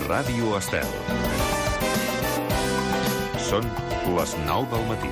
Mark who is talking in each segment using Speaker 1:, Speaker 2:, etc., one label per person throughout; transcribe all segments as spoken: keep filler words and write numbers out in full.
Speaker 1: Ràdio Estel. Són les nou del matí.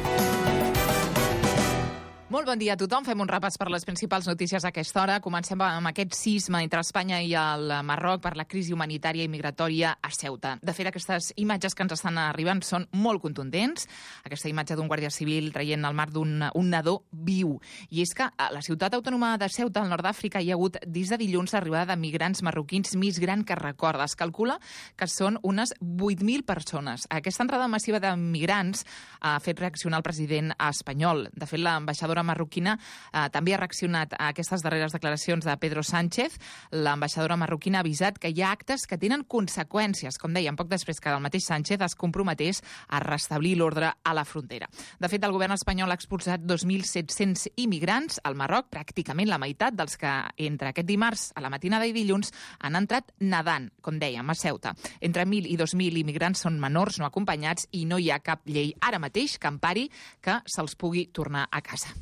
Speaker 2: Molt bon dia a tothom. Fem un repàs per les principals notícies a aquesta hora. Comencem amb aquest sisme entre Espanya i el Marroc per la crisi humanitària i migratòria a Ceuta. De fet, aquestes imatges que ens estan arribant són molt contundents. Aquesta imatge d'un guàrdia civil traient al mar d'un un nadó viu. I és que a la ciutat autònoma de Ceuta, al nord d'Àfrica, hi ha hagut des de dilluns l'arribada de migrants marroquins més gran que recorda. Es calcula que són unes vuit mil persones. Aquesta entrada massiva de migrants ha fet reaccionar el president espanyol. De fet, l'ambaixadora marroquina eh, també ha reaccionat a aquestes darreres declaracions de Pedro Sánchez. L'ambaixadora marroquina ha avisat que hi ha actes que tenen conseqüències, com dèiem, poc després que el mateix Sánchez es comprometés a restablir l'ordre a la frontera. De fet, el govern espanyol ha expulsat dos mil set-cents immigrants al Marroc, pràcticament la meitat dels que entre aquest dimarts a la matinada i dilluns han entrat nedant, com dèiem, a Ceuta. Entre mil i dos mil immigrants són menors no acompanyats i no hi ha cap llei ara mateix que empari que se'ls pugui tornar a casa.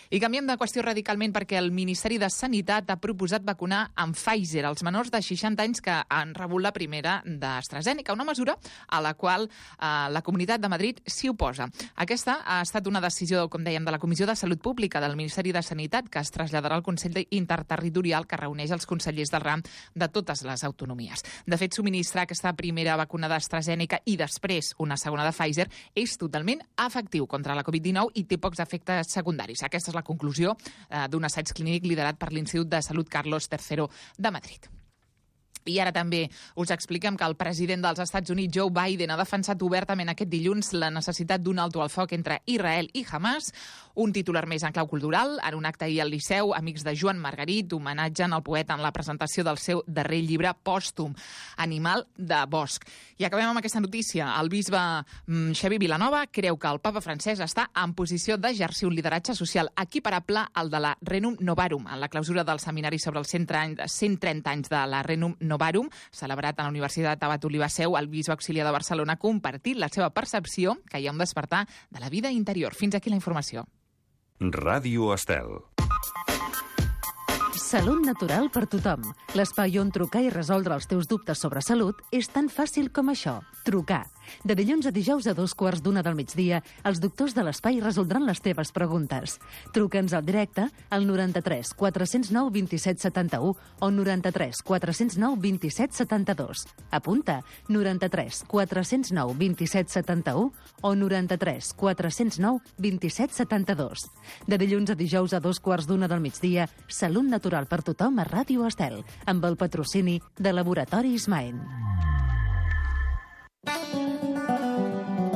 Speaker 2: I canviem de qüestió radicalment perquè el Ministeri de Sanitat ha proposat vacunar amb Pfizer els menors de seixanta anys que han rebut la primera d'AstraZeneca, una mesura a la qual eh, la Comunitat de Madrid s'hi oposa. Aquesta ha estat una decisió, com dèiem, de la Comissió de Salut Pública del Ministeri de Sanitat que es traslladarà al Consell Interterritorial que reuneix els consellers del ram de totes les autonomies. De fet, subministrar aquesta primera vacuna d'AstraZeneca i després una segona de Pfizer és totalment efectiu contra la covid dinou i té pocs efectes secundaris. Aquesta és la conclusió eh, d'un assaig clínic liderat per l'Institut de Salut Carlos tercero de Madrid. I ara també us expliquem que el president dels Estats Units, Joe Biden, ha defensat obertament aquest dilluns la necessitat d'un alto al foc entre Israel i Hamas. Un titular més en clau cultural. En un acte ahir al Liceu, amics de Joan Margarit homenatgen el poeta en la presentació del seu darrer llibre pòstum, Animal de bosc. I acabem amb aquesta notícia. El bisbe mm, Xavier Vilanova creu que el papa francès està en posició d'exercir un lideratge social equiparable al de la Renum Novarum, en la clausura del seminari sobre els cent trenta anys de la Renum Novarum, celebrat a la Universitat Abat Oliba Seu. El bisbe auxiliar de Barcelona ha compartit la seva percepció que hi ha un despertar de la vida interior. Fins aquí la informació.
Speaker 1: Ràdio Estel.
Speaker 3: Salut natural per tothom. L'espai on trucar i resoldre els teus dubtes sobre salut és tan fàcil com això. Trucar. De dilluns a dijous a dos quarts d'una del migdia, els doctors de l'espai resoldran les teves preguntes. Truca'ns al directe al noranta-tres quatre zero nou vint set setanta-u o noranta-tres quatre zero nou vint set setanta-dos. Apunta, noranta-tres quatre zero nou vint set setanta-u o noranta-tres quatre zero nou vint set setanta-dos. De dilluns a dijous a dos quarts d'una del migdia, Salut natural per tothom a Ràdio Estel, amb el patrocini de Laboratoris Maen.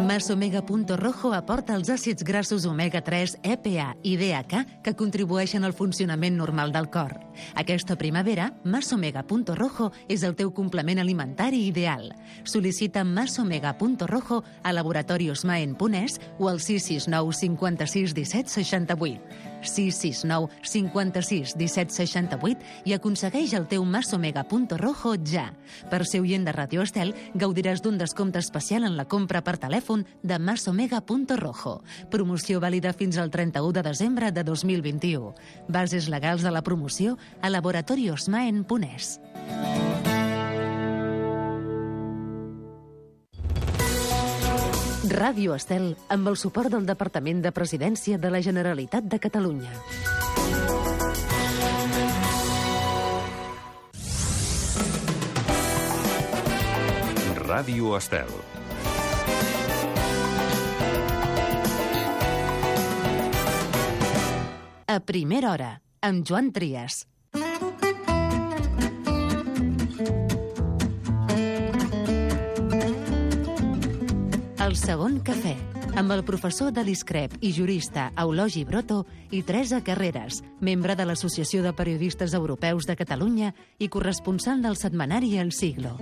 Speaker 3: Masomega.rojo aporta els àcids grassos omega tres, E P A i D H A que contribueixen al funcionament normal del cor. Aquesta primavera, Masomega.rojo és el teu complement alimentari ideal. Sol·licita Masomega.rojo a Laboratorios Maen punt es o al sis sis nou cinquanta-sis disset seixanta-vuit. sis sis nou cinquanta-sis disset seixanta-vuit i aconsegueix el teu Masomega.rojo ja. Per ser oient de Ràdio Estel, gaudiràs d'un descompte especial en la compra per telèfon de Masomega.rojo. Promoció vàlida fins al trenta-u de desembre de dos mil vint-i-u. Bases legals de la promoció a Laboratorios Maen punt es. Ràdio Estel, amb el suport del Departament de Presidència de la Generalitat de Catalunya.
Speaker 1: Ràdio Estel.
Speaker 3: A primera hora, amb Joan Trias. El segon cafè, amb el professor de l'ISCREP i jurista Eulogi Broto i Teresa Carreras, membre de l'Associació de Periodistes Europeus de Catalunya i corresponsal del setmanari El Siglo.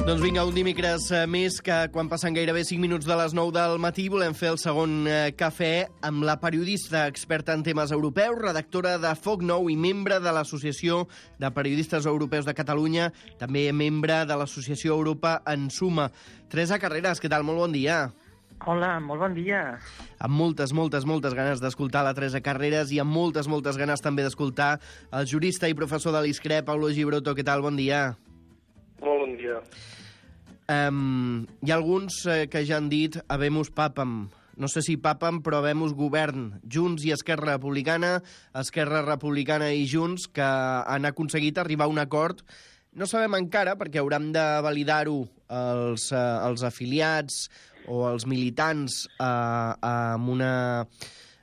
Speaker 4: Doncs vinga, un dimecres més que quan passen gairebé cinc minuts de les nou del matí volem fer el segon cafè amb la periodista experta en temes europeus, redactora de Foc Nou i membre de l'Associació de Periodistes Europeus de Catalunya, també membre de l'Associació Europa en Suma. Teresa Carreras, què tal? Molt bon dia.
Speaker 5: Hola, molt bon dia.
Speaker 4: Amb moltes, moltes, moltes ganes d'escoltar la Teresa Carreras i amb moltes, moltes ganes també d'escoltar el jurista i professor de l'ISCRE, Paulo Gibroto. Què tal? Bon dia.
Speaker 6: Molt bon dia.
Speaker 4: Um, hi ha alguns eh, que ja han dit habemus papam. No sé si papam, però habemus govern. Junts i Esquerra Republicana, Esquerra Republicana i Junts, que han aconseguit arribar a un acord. No sabem encara, perquè hauran de validar-ho els, eh, els afiliats o els militants eh, amb, una,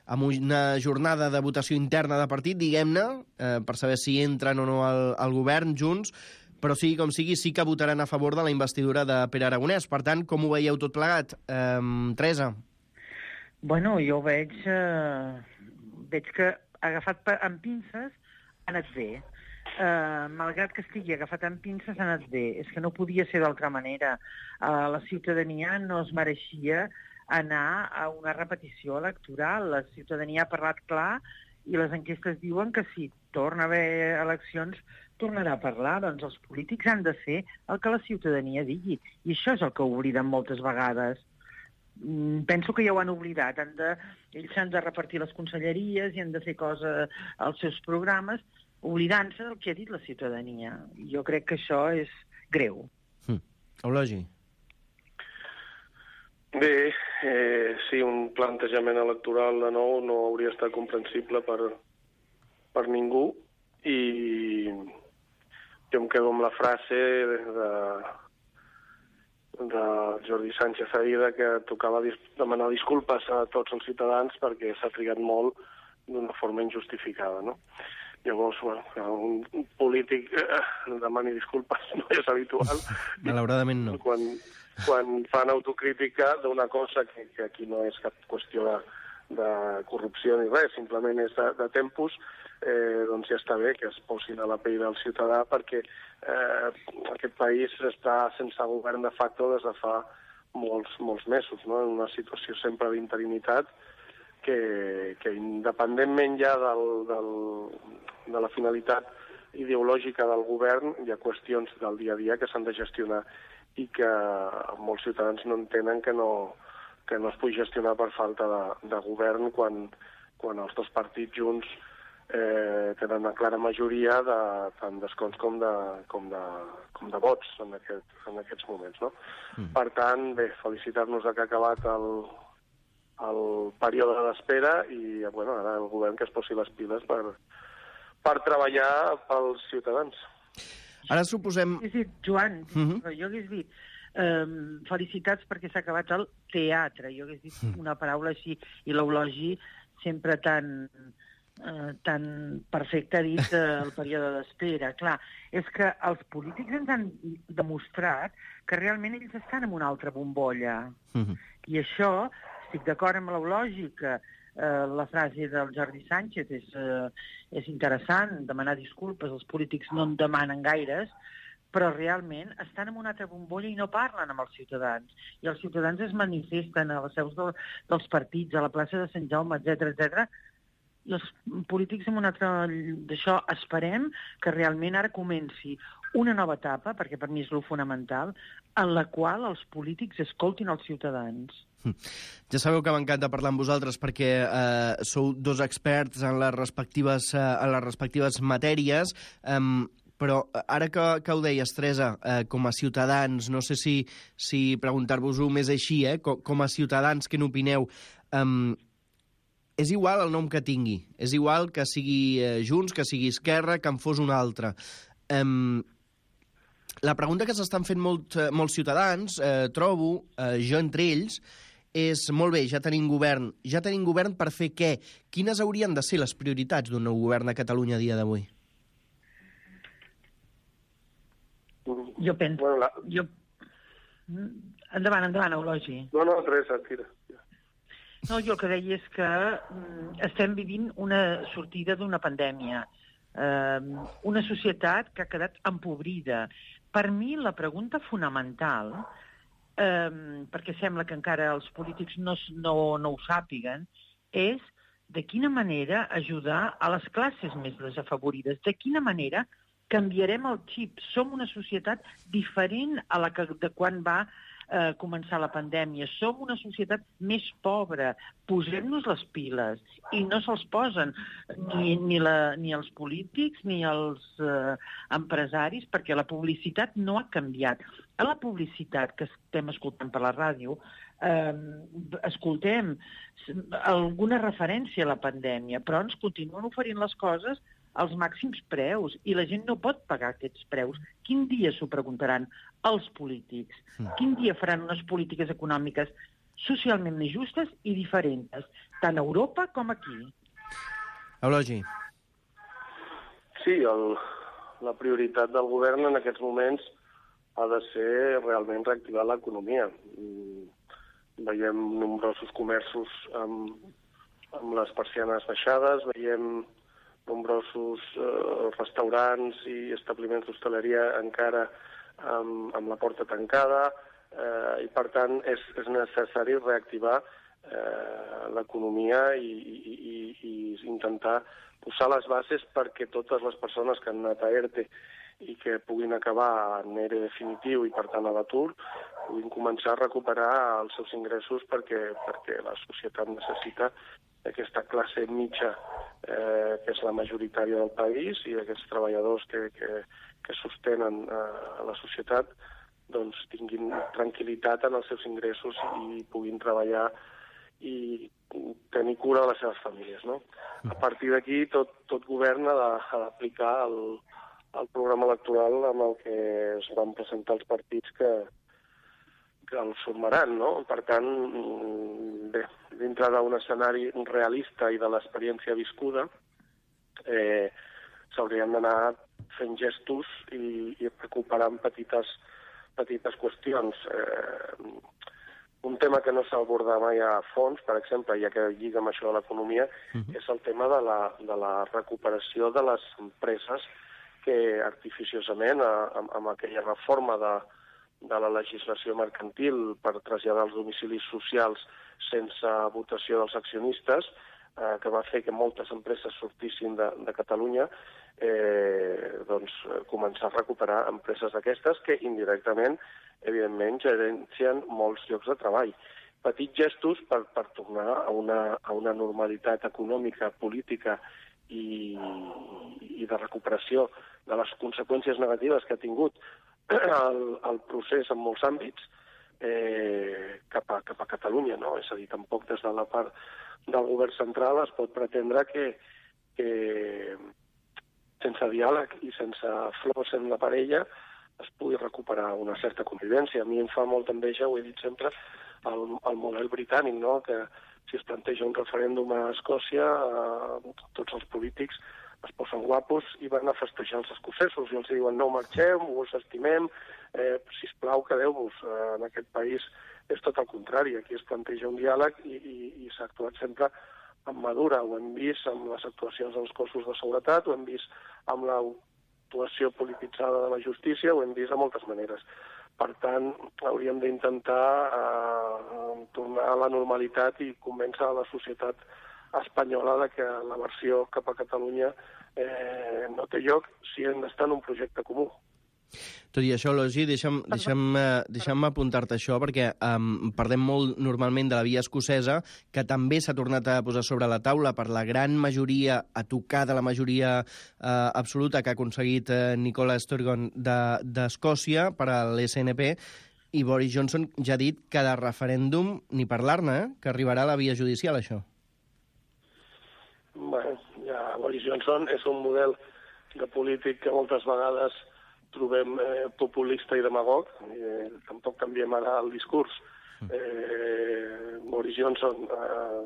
Speaker 4: amb una jornada de votació interna de partit, diguem-ne, eh, per saber si entren o no al, al govern junts, però sigui com sigui, sí que votaran a favor de la investidura de Pere Aragonès. Per tant, com ho veieu tot plegat? Eh, Teresa?
Speaker 5: Bueno, jo veig, eh, veig que agafat per, amb pinces ha anat bé. Uh, malgrat que estigui agafat amb pinces, ha anat bé. És que no podia ser d'altra manera. Uh, la ciutadania no es mereixia anar a una repetició electoral. La ciutadania ha parlat clar i les enquestes diuen que si torna a haver eleccions tornarà a parlar. Doncs els polítics han de fer el que la ciutadania digui. I això és el que obliden moltes vegades. Mm, penso que ja ho han oblidat. Han de, ells s'han de repartir les conselleries i han de fer coses als seus programes, oblidant-se del que ha dit la ciutadania. Jo crec que això és greu.
Speaker 4: Hm. Eulogi?
Speaker 6: Bé, eh, sí, un plantejament electoral de nou no hauria estat comprensible per, per ningú i jo em quedo amb la frase de, de Jordi Sánchez ahir que tocava dis demanar disculpes a tots els ciutadans perquè s'ha trigat molt d'una forma injustificada, no? Llavors, bueno, un polític eh, demani disculpes no és habitual.
Speaker 4: Malauradament no.
Speaker 6: Quan, quan fan autocrítica d'una cosa que, que aquí no és cap qüestió de, de corrupció ni res, simplement és de, de tempos, eh, doncs ja està bé que es posin a la pell del ciutadà perquè eh, aquest país està sense govern de facto des de fa molts, molts mesos, no? En una situació sempre d'interinitat que, que independentment ja del, del, de la finalitat ideològica del govern, hi ha qüestions del dia a dia que s'han de gestionar i que molts ciutadans no entenen que no, que no es pugui gestionar per falta de, de govern quan, quan els dos partits junts eh, tenen una clara majoria de, tant d'escons com de, com de, com de vots en, aquest, en aquests moments, no? Mm. Per tant, bé, felicitar-nos que ha acabat el, el període d'espera i, bueno, ara el govern que es posi les piles per, per treballar pels ciutadans.
Speaker 4: Ara suposem...
Speaker 5: És dir, Joan,
Speaker 4: uh -huh.
Speaker 5: jo hagués dit eh, felicitats perquè s'ha acabat el teatre. Jo hagués dit una paraula així i l'eulogi sempre tan, eh, tan perfecte ha dit eh, el període d'espera. Clar, és que els polítics ens han demostrat que realment ells estan en una altra bombolla. Uh -huh. I això, estic d'acord amb l'eulogi, que Uh, la frase del Jordi Sánchez és, uh, és interessant, demanar disculpes, els polítics no en demanen gaires, però realment estan en una altra bombolla i no parlen amb els ciutadans. I els ciutadans es manifesten a les seus de, dels partits, a la plaça de Sant Jaume, etcètera, etcètera. I els polítics en una altra... D'això esperem que realment ara comenci una nova etapa, perquè per mi és lo fonamental, en la qual els polítics escoltin els ciutadans.
Speaker 4: Ja sabeu que m'encanta parlar amb vosaltres perquè eh, sou dos experts en les respectives, eh, en les respectives matèries, eh, però ara que, que ho deies, Teresa, eh, com a ciutadans, no sé si, si preguntar-vos-ho més així, eh, com, com a ciutadans, què n'opineu? Eh, és igual el nom que tingui, és igual que sigui eh, Junts, que sigui Esquerra, que en fos un altre. Eh, la pregunta que s'estan fent molt, eh, molts ciutadans, eh, trobo, eh, jo entre ells, és, molt bé, ja tenim govern. Ja tenim govern per fer què? Quines haurien de ser les prioritats d'un nou govern a Catalunya a dia d'avui?
Speaker 5: Jo penso...
Speaker 6: Bueno, la...
Speaker 5: jo... Endavant, endavant, Eulogi.
Speaker 6: No, no, Teresa, tira.
Speaker 5: No, jo el que deia és que mm, estem vivint una sortida d'una pandèmia, eh, una societat que ha quedat empobrida. Per mi, la pregunta fonamental... Um, perquè sembla que encara els polítics no, no, no ho sàpiguen, és de quina manera ajudar a les classes més desafavorides, de quina manera canviarem el xip. Som una societat diferent a la que de quan va eh, començar la pandèmia. Som una societat més pobra. Posem-nos les piles. I no se'ls posen ni, ni, la, ni els polítics ni els eh, empresaris, perquè la publicitat no ha canviat. A la publicitat que estem escoltant per la ràdio, eh, escoltem alguna referència a la pandèmia, però ens continuen oferint les coses als màxims preus, i la gent no pot pagar aquests preus. Quin dia s'ho preguntaran els polítics? Quin dia faran unes polítiques econòmiques socialment més justes i diferents, tant a Europa com aquí?
Speaker 4: Eulogi.
Speaker 6: Sí, el, la prioritat del govern en aquests moments ha de ser realment reactivar l'economia. Veiem nombrosos comerços amb, amb les persianes baixades, veiem nombrosos eh, restaurants i establiments d'hostaleria encara amb, amb la porta tancada, eh, i per tant és, és necessari reactivar eh, l'economia i, i, i, i intentar posar les bases perquè totes les persones que han anat a ERTE i que puguin acabar en ERE definitiu i per tant a l'atur, puguin començar a recuperar els seus ingressos perquè, perquè la societat necessita aquesta classe mitja eh, que és la majoritària del país i aquests treballadors que, que, que sostenen eh, la societat doncs tinguin tranquil·litat en els seus ingressos i puguin treballar i tenir cura de les seves famílies, no? A partir d'aquí tot, tot govern ha d'aplicar el, el programa electoral amb el que es van presentar els partits que, que el formaran, no? Per tant, bé, dintre d'un escenari realista i de l'experiència viscuda, eh, s'haurien d'anar fent gestos i, i recuperant petites, petites qüestions. Eh, un tema que no s'ha abordat mai a fons, per exemple, ja que lliga amb això de l'economia, uh-huh. és el tema de la, de la recuperació de les empreses que artificiosament, amb, amb aquella reforma de, de la legislació mercantil per traslladar els domicilis socials sense votació dels accionistes, eh, que va fer que moltes empreses sortissin de, de Catalunya, eh, doncs començar a recuperar empreses d'aquestes que indirectament, evidentment, gerencien molts llocs de treball. Petits gestos per, per tornar a una, a una normalitat econòmica, política i, i de recuperació de les conseqüències negatives que ha tingut el, el procés en molts àmbits eh, cap, a, cap a Catalunya, no? És a dir, tampoc des de la part del govern central es pot pretendre que, que sense diàleg i sense flors en la parella es pugui recuperar una certa convivència. A mi em fa molta enveja, ho he dit sempre, el, el model britànic, no? Que si es planteja un referèndum a Escòcia, eh, tots els polítics es posen guapos i van a festejar els escocesos i els diuen no marxem, us estimem, eh, sisplau, quedeu-vos. Eh, en aquest país és tot el contrari, aquí es planteja un diàleg i, i, i s'ha actuat sempre amb madura. Ho hem vist amb les actuacions dels cossos de seguretat, ho hem vist amb l'actuació polititzada de la justícia, ho hem vist de moltes maneres. Per tant, hauríem d'intentar eh, tornar a la normalitat i convèncer a la societat espanyola de que la versió cap a Catalunya eh, no té lloc si hem d'estar en un projecte comú.
Speaker 4: Tot i això, Eulogi, deixa'm, deixa'm, uh, deixa'm apuntar-te això, perquè um, parlem molt normalment de la via escocesa, que també s'ha tornat a posar sobre la taula per la gran majoria, a tocar de la majoria uh, absoluta que ha aconseguit uh, Nicola Sturgeon d'Escòcia de, per a l'S N P, i Boris Johnson ja ha dit que de referèndum ni parlar-ne, eh? Que arribarà a la via judicial, això.
Speaker 6: Bé, ja Boris Johnson és un model de polític que moltes vegades trobem eh, populista i demagog, eh, tampoc canviem ara el discurs. Eh, Boris Johnson eh,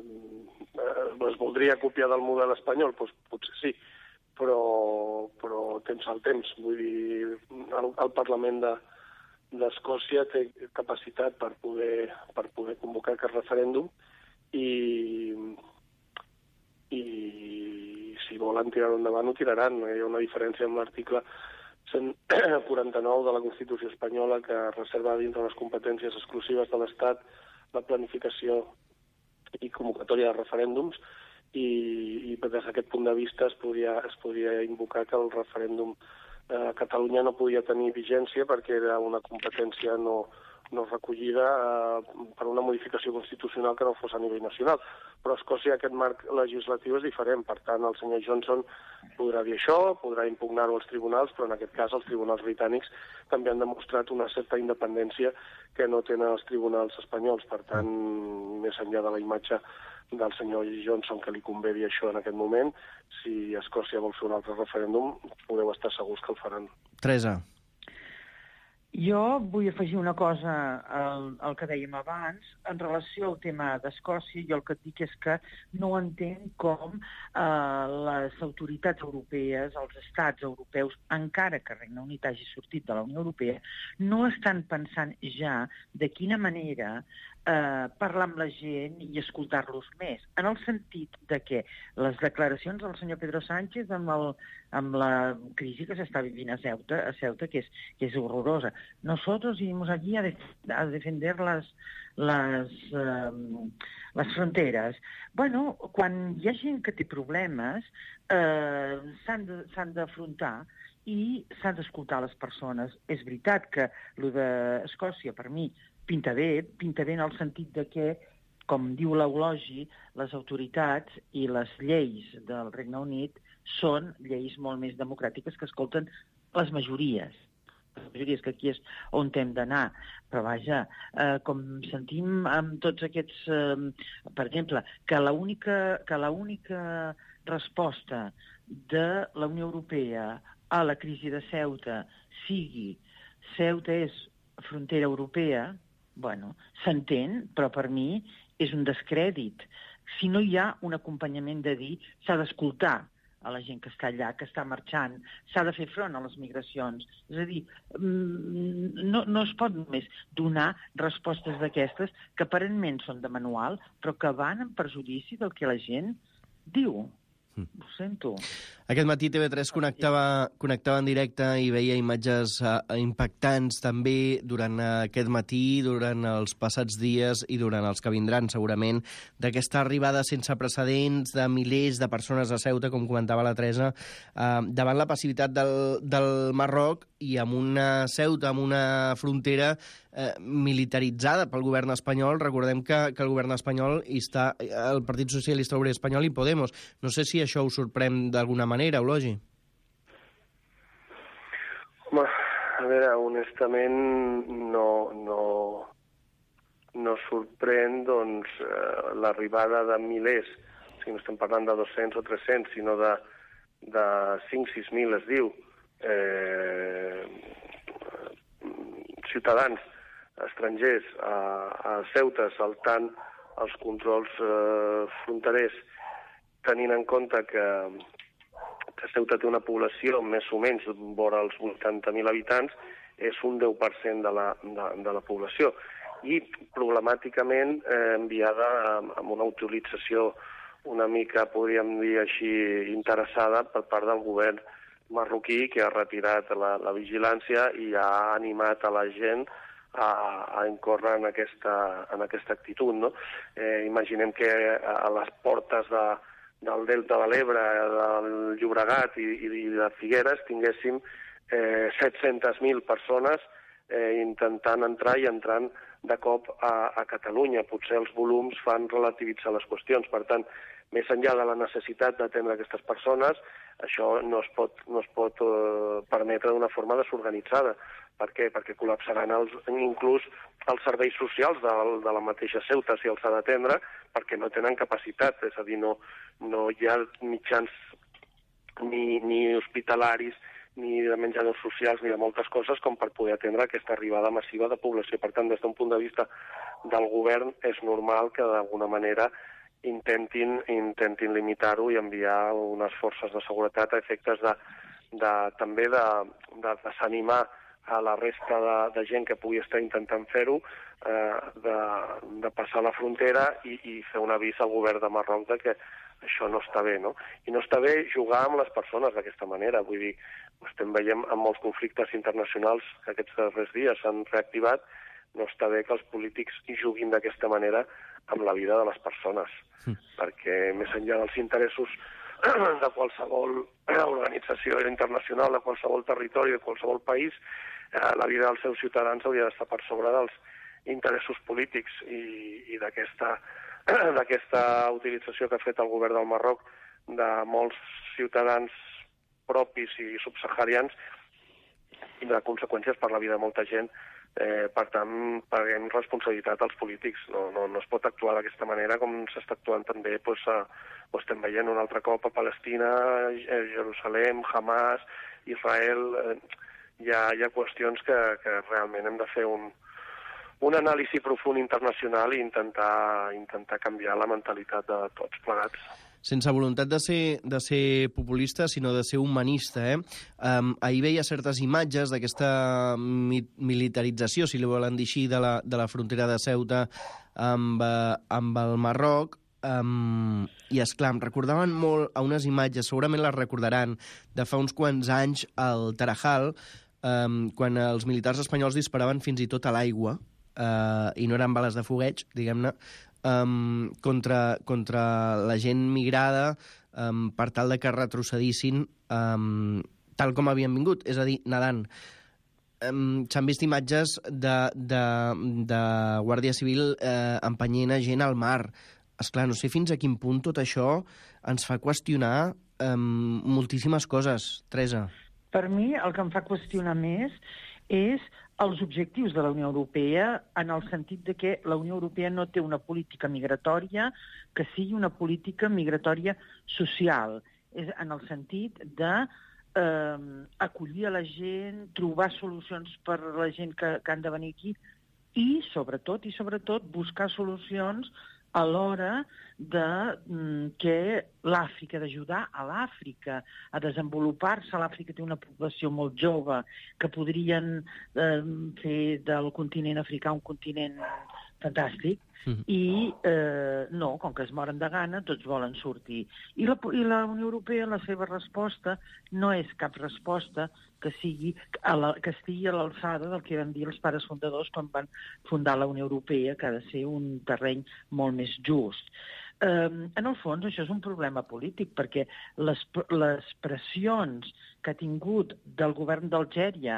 Speaker 6: eh, es voldria copiar del model espanyol, doncs potser sí, però, però temps al temps. Vull dir, el, el Parlament de, d'Escòcia té capacitat per poder, per poder convocar aquest referèndum i, i si volen tirar-ho endavant ho tiraran. Hi ha una diferència amb l'article cent quaranta-nou de la Constitució espanyola que reserva dintre les competències exclusives de l'Estat la planificació i convocatòria de referèndums i, i des d'aquest punt de vista es podria, es podria invocar que el referèndum a Catalunya no podia tenir vigència perquè era una competència no, no recollida eh, per una modificació constitucional que no fos a nivell nacional. Però a Escòcia aquest marc legislatiu és diferent, per tant el senyor Johnson podrà dir això, podrà impugnar-ho als tribunals, però en aquest cas els tribunals britànics també han demostrat una certa independència que no tenen els tribunals espanyols. Per tant, més enllà de la imatge del senyor Johnson, que li convé dir això en aquest moment, si Escòcia vol fer un altre referèndum, podeu estar segurs que el faran.
Speaker 4: Teresa.
Speaker 5: Jo vull afegir una cosa al, al que dèiem abans. En relació al tema d'Escòcia, jo el que et dic és que no entenc com eh, les autoritats europees, els estats europeus, encara que Regne Unit hagi sortit de la Unió Europea, no estan pensant ja de quina manera eh, parlar amb la gent i escoltar-los més, en el sentit de que les declaracions del senyor Pedro Sánchez amb, el, amb la crisi que s'està vivint a Ceuta, a Ceuta que, és, que és horrorosa. Nosotros iremos allí a, de, a defender las, las, eh, les fronteres. Bueno, quan hi ha gent que té problemes, eh, s'han d'afrontar i s'han d'escoltar les persones. És veritat que el d'Escòcia, per mi, pinta bé, pinta bé en el sentit de que, com diu l'eulogi, les autoritats i les lleis del Regne Unit són lleis molt més democràtiques que escolten les majories. Les majories, que aquí és on hem d'anar. Però vaja, eh, com sentim amb tots aquests... Eh, per exemple, que l'única que l'única resposta de la Unió Europea a la crisi de Ceuta sigui Ceuta és frontera europea, bueno, s'entén, però per mi és un descrèdit. Si no hi ha un acompanyament de dir s'ha d'escoltar a la gent que està allà, que està marxant, s'ha de fer front a les migracions. És a dir, no, no es pot només donar respostes d'aquestes que aparentment són de manual, però que van en perjudici del que la gent diu. Ho sento.
Speaker 4: Aquest matí T V tres connectava, connectava en directe i veia imatges uh, impactants també durant uh, aquest matí, durant els passats dies i durant els que vindran, segurament, d'aquesta arribada sense precedents de milers de persones a Ceuta, com comentava la Teresa, uh, davant la passivitat del, del Marroc i amb una Ceuta, amb una frontera eh, militaritzada pel govern espanyol. Recordem que, que el govern espanyol hi està el Partit Socialista Obrer Espanyol i Podemos. No sé si això us sorprèn d'alguna manera, Eulogi.
Speaker 6: Home, a veure, honestament no, no, no sorprèn doncs, eh, l'arribada de milers, o sigui, no estem parlant de dos-cents o tres-cents, sinó de, de cinc sis mil, es diu, eh, ciutadans estrangers a, a Ceuta saltant els controls eh, fronterers, tenint en compte que, que Ceuta té una població més o menys vora els vuitanta mil habitants, és un deu per cent de la, de, de la població. I problemàticament eh, enviada amb, amb una utilització una mica, podríem dir així, interessada per part del govern marroquí, que ha retirat la, la vigilància i ha animat a la gent a, a incórrer en aquesta, en aquesta actitud. No? Eh, imaginem que a les portes de, del Delta de l'Ebre, del Llobregat i, i de Figueres tinguéssim eh, set-centes mil persones eh, intentant entrar i entrant de cop a, a Catalunya. Potser els volums fan relativitzar les qüestions. Per tant, més enllà de la necessitat d'atendre aquestes persones, això no es pot, no es pot eh, permetre d'una forma desorganitzada. Per què? Perquè col·lapsaran els, inclús els serveis socials de, de la mateixa Ceuta, si els ha d'atendre, perquè no tenen capacitat. És a dir, no, no hi ha mitjans ni, ni hospitalaris, ni de menjadors socials, ni de moltes coses com per poder atendre aquesta arribada massiva de població. Per tant, des d'un punt de vista del govern, és normal que d'alguna manera intentin, intentin limitar-ho i enviar unes forces de seguretat a efectes de, de, també de, de desanimar a la resta de, de gent que pugui estar intentant fer-ho, eh, de, de passar la frontera i, i fer un avís al govern de Marroc de que això no està bé, no? I no està bé jugar amb les persones d'aquesta manera. Vull dir, ho estem veient amb molts conflictes internacionals que aquests darrers dies s'han reactivat. No està bé que els polítics juguin d'aquesta manera amb la vida de les persones, mm. perquè més enllà dels interessos de qualsevol organització internacional, de qualsevol territori, de qualsevol país, eh, la vida dels seus ciutadans hauria d'estar per sobre dels, interessos polítics i, i d'aquesta d'aquesta utilització que ha fet el govern del Marroc de molts ciutadans propis i subsaharians i de conseqüències per la vida de molta gent. Eh, per tant, paguem responsabilitat als polítics. No, no, no es pot actuar d'aquesta manera com s'està actuant també, doncs, a, ho estem veient un altre cop a Palestina, a Jerusalem, Hamas, Israel. Eh, hi, ha, hi ha qüestions que, que realment hem de fer un, un anàlisi profund internacional i intentar, intentar canviar la mentalitat de tots plegats.
Speaker 4: Sense voluntat de ser, de ser populista, sinó de ser humanista. Eh? Um, ahir veia certes imatges d'aquesta mi militarització, si li volen dir així, de la, de la frontera de Ceuta amb, uh, amb el Marroc, um, i, esclar, em recordaven molt a unes imatges, segurament les recordaran, de fa uns quants anys al Tarajal, um, quan els militars espanyols disparaven fins i tot a l'aigua, uh, i no eren bales de fogueig, diguem-ne, Um, contra, contra la gent migrada um, per tal de que retrocedissin um, tal com havien vingut, és a dir, nedant. Um, S'han vist imatges de, de, de Guàrdia Civil eh, empenyent a gent al mar. Esclar, no sé fins a quin punt tot això ens fa qüestionar um, moltíssimes coses. Teresa.
Speaker 5: Per mi, el que em fa qüestionar més és els objectius de la Unió Europea, en el sentit de que la Unió Europea no té una política migratòria que sigui una política migratòria social. És en el sentit de eh, acollir a la gent, trobar solucions per a la gent que, que han de venir aquí i, sobretot, i sobretot, buscar solucions a l'hora de mm, que l'Àfrica, d'ajudar a l'Àfrica a desenvolupar-se. L'Àfrica té una població molt jove que podrien eh, fer del continent africà un continent fantàstic, mm-hmm. i eh, no, com que es moren de gana, tots volen sortir. I la, i la Unió Europea, la seva resposta, no és cap resposta que sigui a la, que estigui a l'alçada del que van dir els pares fundadors quan van fundar la Unió Europea, que ha de ser un terreny molt més just. Um, en el fons, això és un problema polític, perquè les, les pressions que ha tingut del govern d'Algèria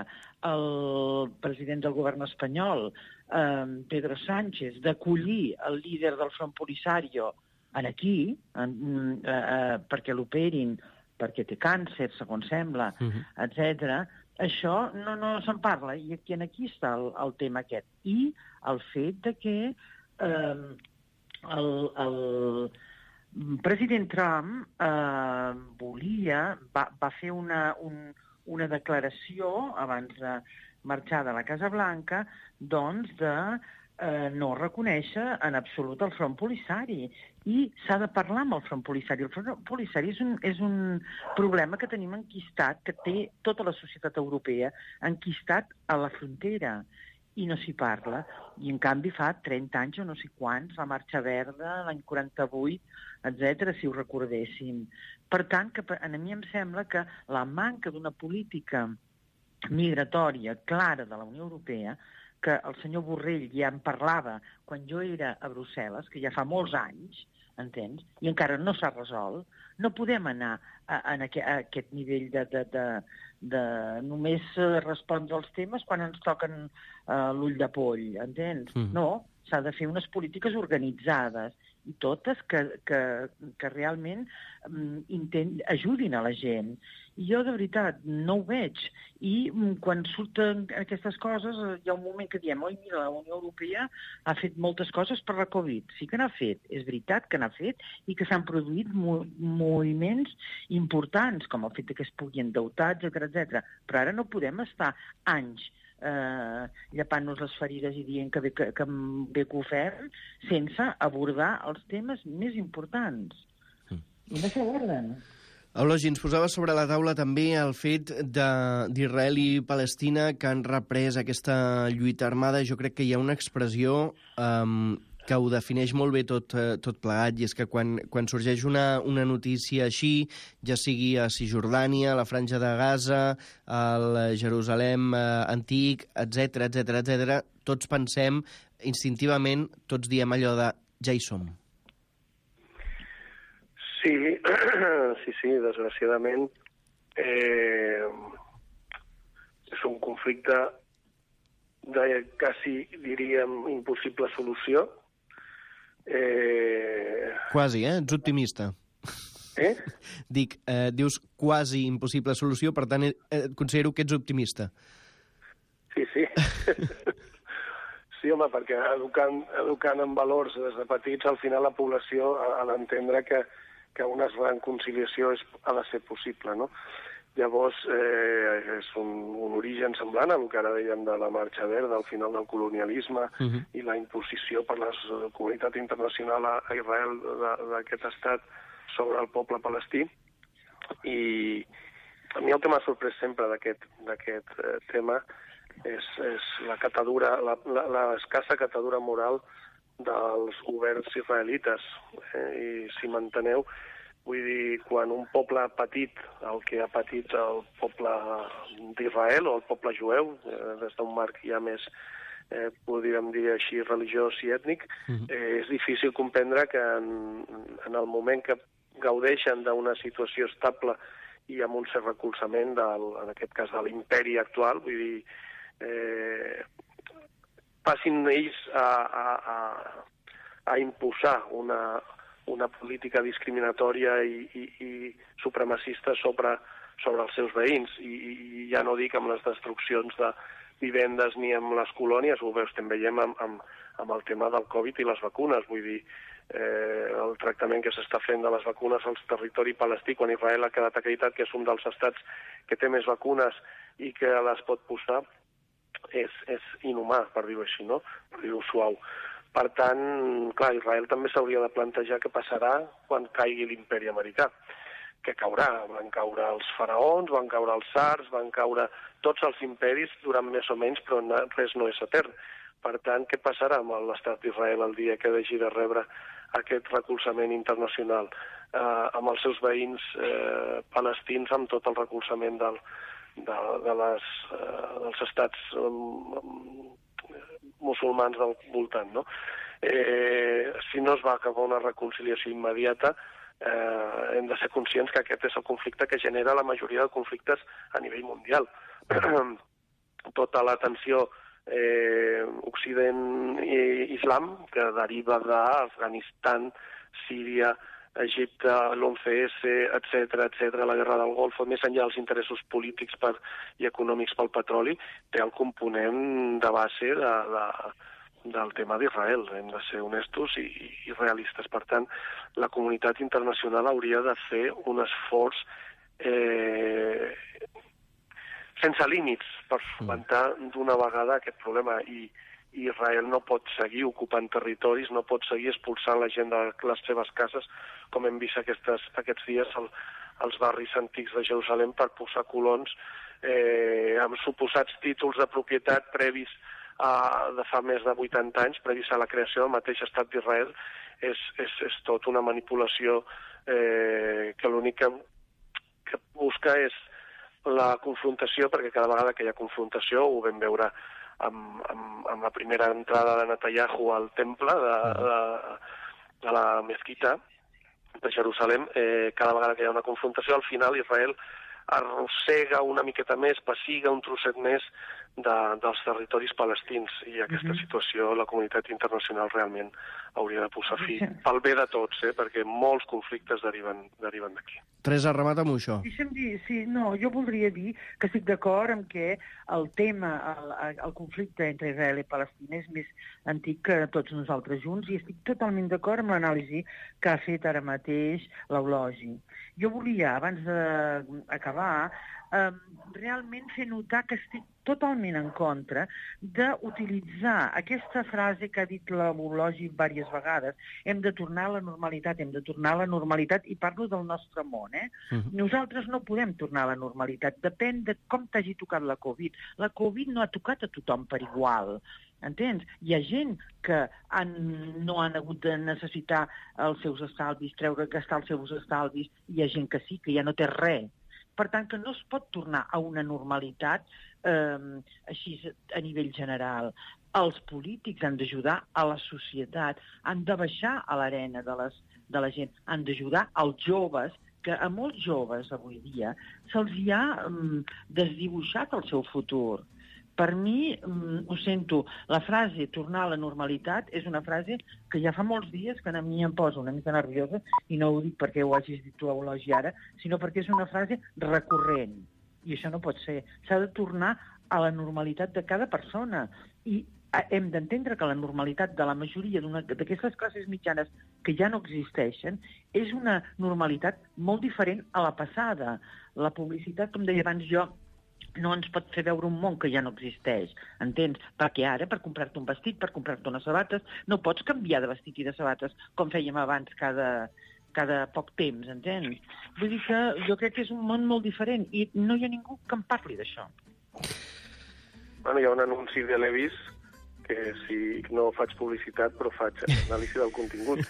Speaker 5: el president del govern espanyol, um, Pedro Sánchez, d'acollir el líder del Front Polisario en aquí, en, uh, uh, perquè l'operin, perquè té càncer, segons sembla, uh-huh. etcètera, això no, no se'n parla, i aquí, aquí està el, el tema aquest. I el fet de que um, El, el president Trump eh, volia, va, va fer una, un, una declaració abans de marxar de la Casa Blanca, doncs de eh, no reconèixer en absolut el Front Polisari. I s'ha de parlar amb el Front Polisari. El Front Polisari és un, és un problema que tenim enquistat, que té tota la societat europea enquistat a la frontera. I no s'hi parla. I, en canvi, fa trenta anys o no sé quants, la Marxa Verda, l'any quaranta-vuit, etcètera, si ho recordéssim. Per tant, que a mi em sembla que la manca d'una política migratòria clara de la Unió Europea, que el senyor Borrell ja en parlava quan jo era a Brussel·les, que ja fa molts anys, entens? I encara no s'ha resolt. No podem anar a, a, a aquest nivell de, de, de, de només respondre als temes quan ens toquen uh, l'ull de poll, entens? Mm. No, s'ha de fer unes polítiques organitzades i totes que, que, que realment um, intent, ajudin a la gent. I jo, de veritat, no ho veig. I um, quan surten aquestes coses, hi ha un moment que diem, oi, mira, la Unió Europea ha fet moltes coses per la Covid. Sí que n'ha fet, és veritat que n'ha fet, i que s'han produït mo moviments importants, com el fet que es pugui endeutar, etcètera, etcètera. Però ara no podem estar anys eh, llepant-nos les ferides i dient que bé que, que, bé que ho fem, sense abordar els temes més importants. Mm. I no s'aborden.
Speaker 4: Eulogi, ens posava sobre la taula també el fet d'Israel i Palestina que han reprès aquesta lluita armada. Jo crec que hi ha una expressió um, que ho defineix molt bé tot, uh, tot plegat, i és que quan, quan sorgeix una, una notícia així, ja sigui a Cisjordània, a la Franja de Gaza, al Jerusalem uh, antic, etcètera, etcètera, etcètera, tots pensem instintivament, tots diem allò de ja hi som.
Speaker 6: Sí, sí, sí, desgraciadament eh, és un conflicte de quasi, diríem, impossible solució. Eh...
Speaker 4: Quasi, eh? Ets optimista.
Speaker 6: Eh?
Speaker 4: Dic, eh, dius quasi impossible solució, per tant, eh, considero que ets optimista.
Speaker 6: Sí, sí. Sí, home, perquè educant, educant en valors des de petits, al final la població ha d'entendre que, que una reconciliació és, ha de ser possible, no? Llavors, eh, és un, un origen semblant al que ara dèiem de la marxa verda, al final del colonialisme uh-huh. i la imposició per la comunitat internacional a Israel d'aquest estat sobre el poble palestí. I a mi el que m'ha sorprès sempre d'aquest eh, tema és, és la catadura, la, la, la escassa catadura moral dels governs israelites. Eh, I si m'enteneu, vull dir, quan un poble ha patit el que ha patit el poble d'Israel o el poble jueu, eh, des d'un marc ja més, eh, podríem dir així, religiós i ètnic, eh, és difícil comprendre que en, en el moment que gaudeixen d'una situació estable i amb un cert recolzament, del, en aquest cas de l'imperi actual, vull dir, eh, passin ells a, a, a, a imposar una una política discriminatòria i, i, i supremacista sobre, sobre els seus veïns. I, I ja no dic amb les destruccions de vivendes ni amb les colònies, ho veus, també veiem amb, amb, amb el tema del Covid i les vacunes. Vull dir, eh, el tractament que s'està fent de les vacunes al territori palestí, quan Israel ha quedat acreditat que és un dels estats que té més vacunes i que les pot posar, és, és inhumà, per dir-ho així, no? Per dir-ho suau. Per tant, clar, Israel també s'hauria de plantejar què passarà quan caigui l'imperi americà. Què caurà? Van caure els faraons, van caure els tsars, van caure tots els imperis durant més o menys, però res no és etern. Per tant, què passarà amb l'estat d'Israel el dia que hagi de rebre aquest recolzament internacional, eh, amb els seus veïns eh, palestins, amb tot el recolzament del, de, de les, eh, dels estats eh, musulmans del voltant, no? Eh, si no es va acabar una reconciliació immediata, eh, hem de ser conscients que aquest és el conflicte que genera la majoria de conflictes a nivell mundial. Tota la tensió eh, Occident i Islam, que deriva d'Afganistan, Síria, Egipte, l'once esse, etcètera, etcètera, la guerra del Golf, més enllà dels interessos polítics per, i econòmics pel petroli, té el component de base de, de, del tema d'Israel. Hem de ser honestos i, i realistes. Per tant, la comunitat internacional hauria de fer un esforç eh, sense límits per solucionar d'una vegada aquest problema. I Israel no pot seguir ocupant territoris, no pot seguir expulsant la gent de les seves cases, com hem vist aquestes, aquests dies al, als barris antics de Jerusalem, per posar colons eh, amb suposats títols de propietat previs a, de fa més de vuitanta anys, previs a la creació del mateix estat d'Israel. És, és, és tot una manipulació eh, que l'únic que, que busca és la confrontació, perquè cada vegada que hi ha confrontació, ho vam veure Amb, amb, amb la primera entrada de Netanyahu al temple de, de, de la mesquita de Jerusalem, eh, cada vegada que hi ha una confrontació, al final Israel arrossega una miqueta més, passiga un trosset més de, dels territoris palestins, i aquesta uh-huh. situació la comunitat internacional realment hauria de posar fi, pel bé de tots, eh, perquè molts conflictes deriven, deriven d'aquí.
Speaker 4: Teresa, remata amb això.
Speaker 5: Deixa'm dir, sí, no, jo voldria dir que estic d'acord amb que el tema, el, el conflicte entre Israel i Palestina és més antic que tots nosaltres junts, i estic totalment d'acord amb l'anàlisi que ha fet ara mateix l'Eulogi. Jo volia, abans d'acabar, eh, realment fer notar que estic totalment en contra d'utilitzar aquesta frase que ha dit l'Eulogi diverses vegades: hem de tornar a la normalitat, hem de tornar a la normalitat, i parlo del nostre món, eh? Uh-huh. Nosaltres no podem tornar a la normalitat, depèn de com t'hagi tocat la Covid. La Covid no ha tocat a tothom per igual, entens? Hi ha gent que han, no han hagut de necessitar els seus estalvis, treure, gastar els seus estalvis, i hi ha gent que sí, que ja no té res. Per tant, que no es pot tornar a una normalitat eh, així a nivell general. Els polítics han d'ajudar a la societat, han de baixar a l'arena de, les, de la gent, han d'ajudar als joves, que a molts joves avui dia se'ls hi ha um, desdibuixat el seu futur. Per mi, ho sento, la frase tornar a la normalitat és una frase que ja fa molts dies que a mi em posa una mica nerviosa, i no ho dic perquè ho hagis dit tu, Eulogii, ara, sinó perquè és una frase recurrent. I això no pot ser. S'ha de tornar a la normalitat de cada persona. I hem d'entendre que la normalitat de la majoria d'aquestes classes mitjanes que ja no existeixen és una normalitat molt diferent a la passada. La publicitat, com deia abans jo, no ens pot fer veure un món que ja no existeix, entens? Perquè ara, per comprar-te un vestit, per comprar-te unes sabates, no pots canviar de vestit i de sabates com fèiem abans cada, cada poc temps, entens? Vull dir que jo crec que és un món molt diferent i no hi ha ningú que em parli d'això.
Speaker 6: Bueno, hi ha un anunci de Levi's que si no faig publicitat, però faig anàlisi del contingut,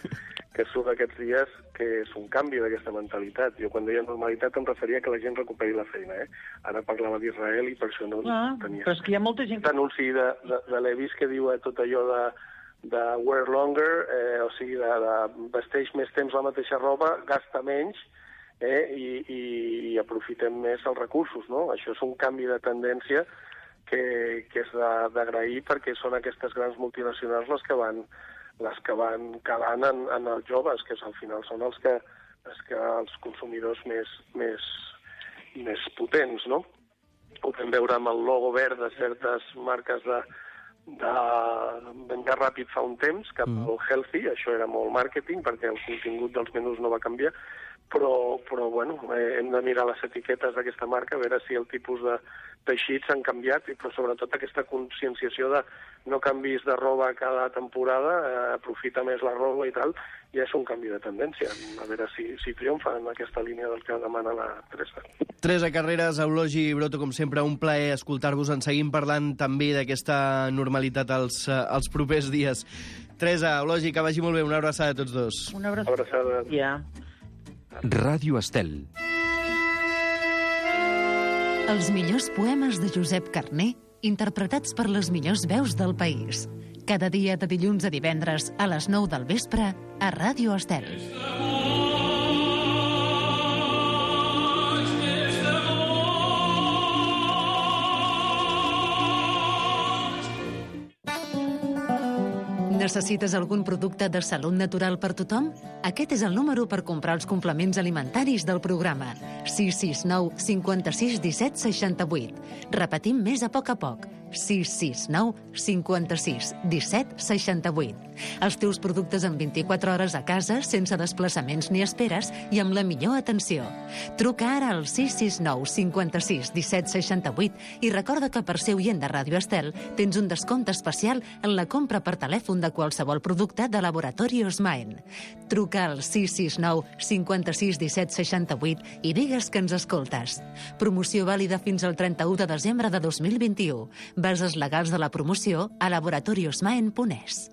Speaker 6: que surt aquests dies, que és un canvi d'aquesta mentalitat. Jo quan deia normalitat em referia que la gent recuperi la feina, eh? Ara parlava d'Israel i per això no
Speaker 5: ah,
Speaker 6: tenia...
Speaker 5: Però és que hi ha molta gent...
Speaker 6: Aquest anunci de, de, de Levi's que diu eh, tot allò de, de wear longer, eh, o sigui, de, de vesteix més temps la mateixa roba, gasta menys, eh, i, i, i aprofitem més els recursos, no? Això és un canvi de tendència que, que és d'agrair perquè són aquestes grans multinacionals les que van, les que van calant en, en els joves, que al final són els que, els, que els consumidors més, més, més potents, no? Ho podem veure amb el logo verd de certes marques de, de menjar ràpid fa un temps, cap al healthy, això era molt màrqueting perquè el contingut dels menús no va canviar, però, però bueno, eh, hem de mirar les etiquetes d'aquesta marca, a veure si el tipus de teixits han canviat, però sobretot aquesta conscienciació de no canvis de roba cada temporada, eh, aprofita més la roba i tal, ja és un canvi de tendència. A veure si, si triomfa en aquesta línia del que demana la Teresa.
Speaker 4: Teresa Carreras, Eulogii Broto, com sempre, un plaer escoltar-vos. En seguim parlant també d'aquesta normalitat als, als propers dies. Teresa, Eulogii, que vagi molt bé. Una abraçada a tots dos.
Speaker 5: Una abraçada.
Speaker 6: abraçada.
Speaker 5: Ja.
Speaker 1: Ràdio Estel.
Speaker 3: Els millors poemes de Josep Carner, interpretats per les millors veus del país. Cada dia de dilluns a divendres a les nou del vespre a Ràdio Estel. Necessites algun producte de salut natural per tothom? Aquest és el número per comprar els complements alimentaris del programa. sis sis nou cinquanta-sis disset seixanta-vuit. Repetim més a poc a poc. sis sis nou cinquanta-sis disset seixanta-vuit. Els teus productes en vint-i-quatre hores a casa, sense desplaçaments ni esperes i amb la millor atenció. Truca ara al sis sis nou cinquanta-sis disset seixanta-vuit i recorda que per ser oient de Ràdio Estel tens un descompte especial en la compra per telèfon de qualsevol producte de Laboratori Osmaen. Truca al sis sis nou cinquanta-sis disset seixanta-vuit i digues que ens escoltes. Promoció vàlida fins al trenta-u de desembre de dos mil vint-i-u. Bases legals de la promoció a laboratori osmaen punt es.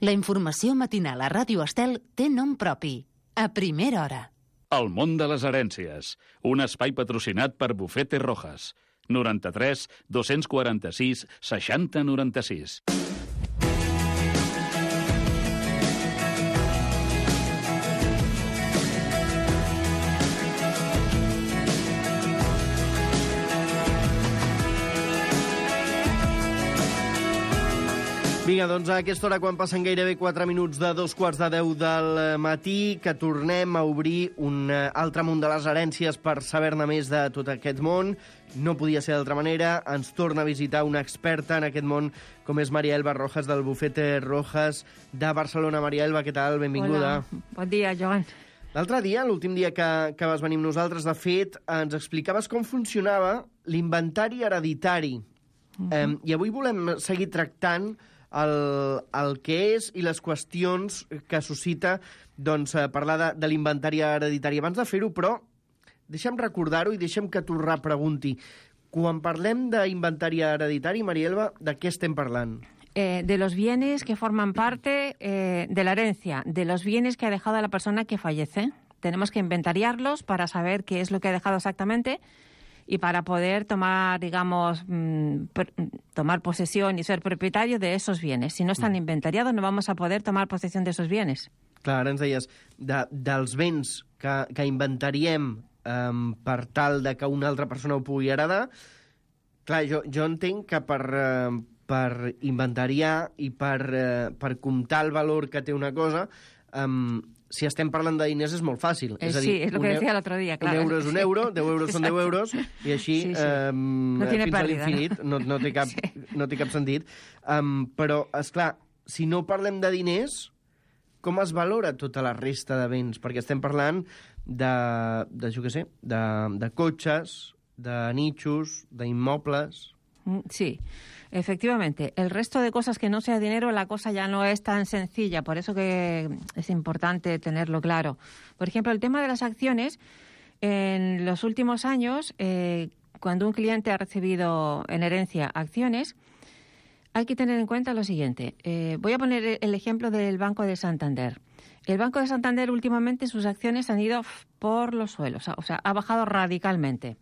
Speaker 3: La informació matinal a Ràdio Estel té nom propi. A primera hora.
Speaker 7: El món de les herències. Un espai patrocinat per Bufete Rojas. noranta-tres dos-cents quaranta-sis seixanta noranta-sis.
Speaker 4: Vinga, doncs a aquesta hora, quan passen gairebé quatre minuts de dos quarts de deu del matí, que tornem a obrir un altre món de les herències per saber-ne més de tot aquest món. No podia ser d'altra manera. Ens torna a visitar una experta en aquest món, com és Maria Elba Rojas, del Bufete Rojas de Barcelona. Maria Elba, què tal? Benvinguda.
Speaker 8: Hola, bon dia, Joan.
Speaker 4: L'altre dia, l'últim dia que, que vas venir amb nosaltres, de fet, ens explicaves com funcionava l'inventari hereditari. Uh -huh. eh, I avui volem seguir tractant El, el que és i les qüestions que suscita doncs, parlar de, de l'inventari hereditari. Abans de fer-ho, però, deixa'm recordar-ho i deixa'm que t'ho repregunti. Quan parlem d'inventari hereditari, Maria Elba, de què estem parlant?
Speaker 8: Eh, de los bienes que forman parte eh, de la herencia, de los bienes que ha dejado la persona que fallece. Tenemos que inventariarlos para saber qué es lo que ha dejado exactamente y para poder tomar, digamos, mmm, per, tomar posesión y ser propietario de esos bienes. Si no están inventariados, no vamos a poder tomar posesión de esos bienes.
Speaker 4: Clar, ara ens deies, de, dels béns que, que inventariem um, per tal de que una altra persona ho pugui heredar. Clar, jo, jo entenc que per, uh, per inventariar i per, uh, per comptar el valor que té una cosa, um, si estem parlant de diners és molt fàcil.
Speaker 8: Eh,
Speaker 4: és a
Speaker 8: sí,
Speaker 4: dir,
Speaker 8: és el que decía l'altre dia, clar.
Speaker 4: Un euro és un euro, deu euros són deu euros, i així
Speaker 8: sí, sí.
Speaker 4: Um,
Speaker 8: no
Speaker 4: fins
Speaker 8: pèrdida,
Speaker 4: a l'infinit, no, no, té cap, sí. no té cap sentit. Um, però, és clar, si no parlem de diners, com es valora tota la resta de béns? Perquè estem parlant de, de jo què sé, de, de cotxes, de nichos, de inmobles.
Speaker 8: Sí, efectivamente. El resto de cosas que no sea dinero, la cosa ya no es tan sencilla. Por eso que es importante tenerlo claro. Por ejemplo, el tema de las acciones. En los últimos años, eh, cuando un cliente ha recibido en herencia acciones, hay que tener en cuenta lo siguiente. Eh, voy a poner el ejemplo del Banco de Santander. El Banco de Santander últimamente sus acciones han ido por los suelos, o sea, ha bajado radicalmente.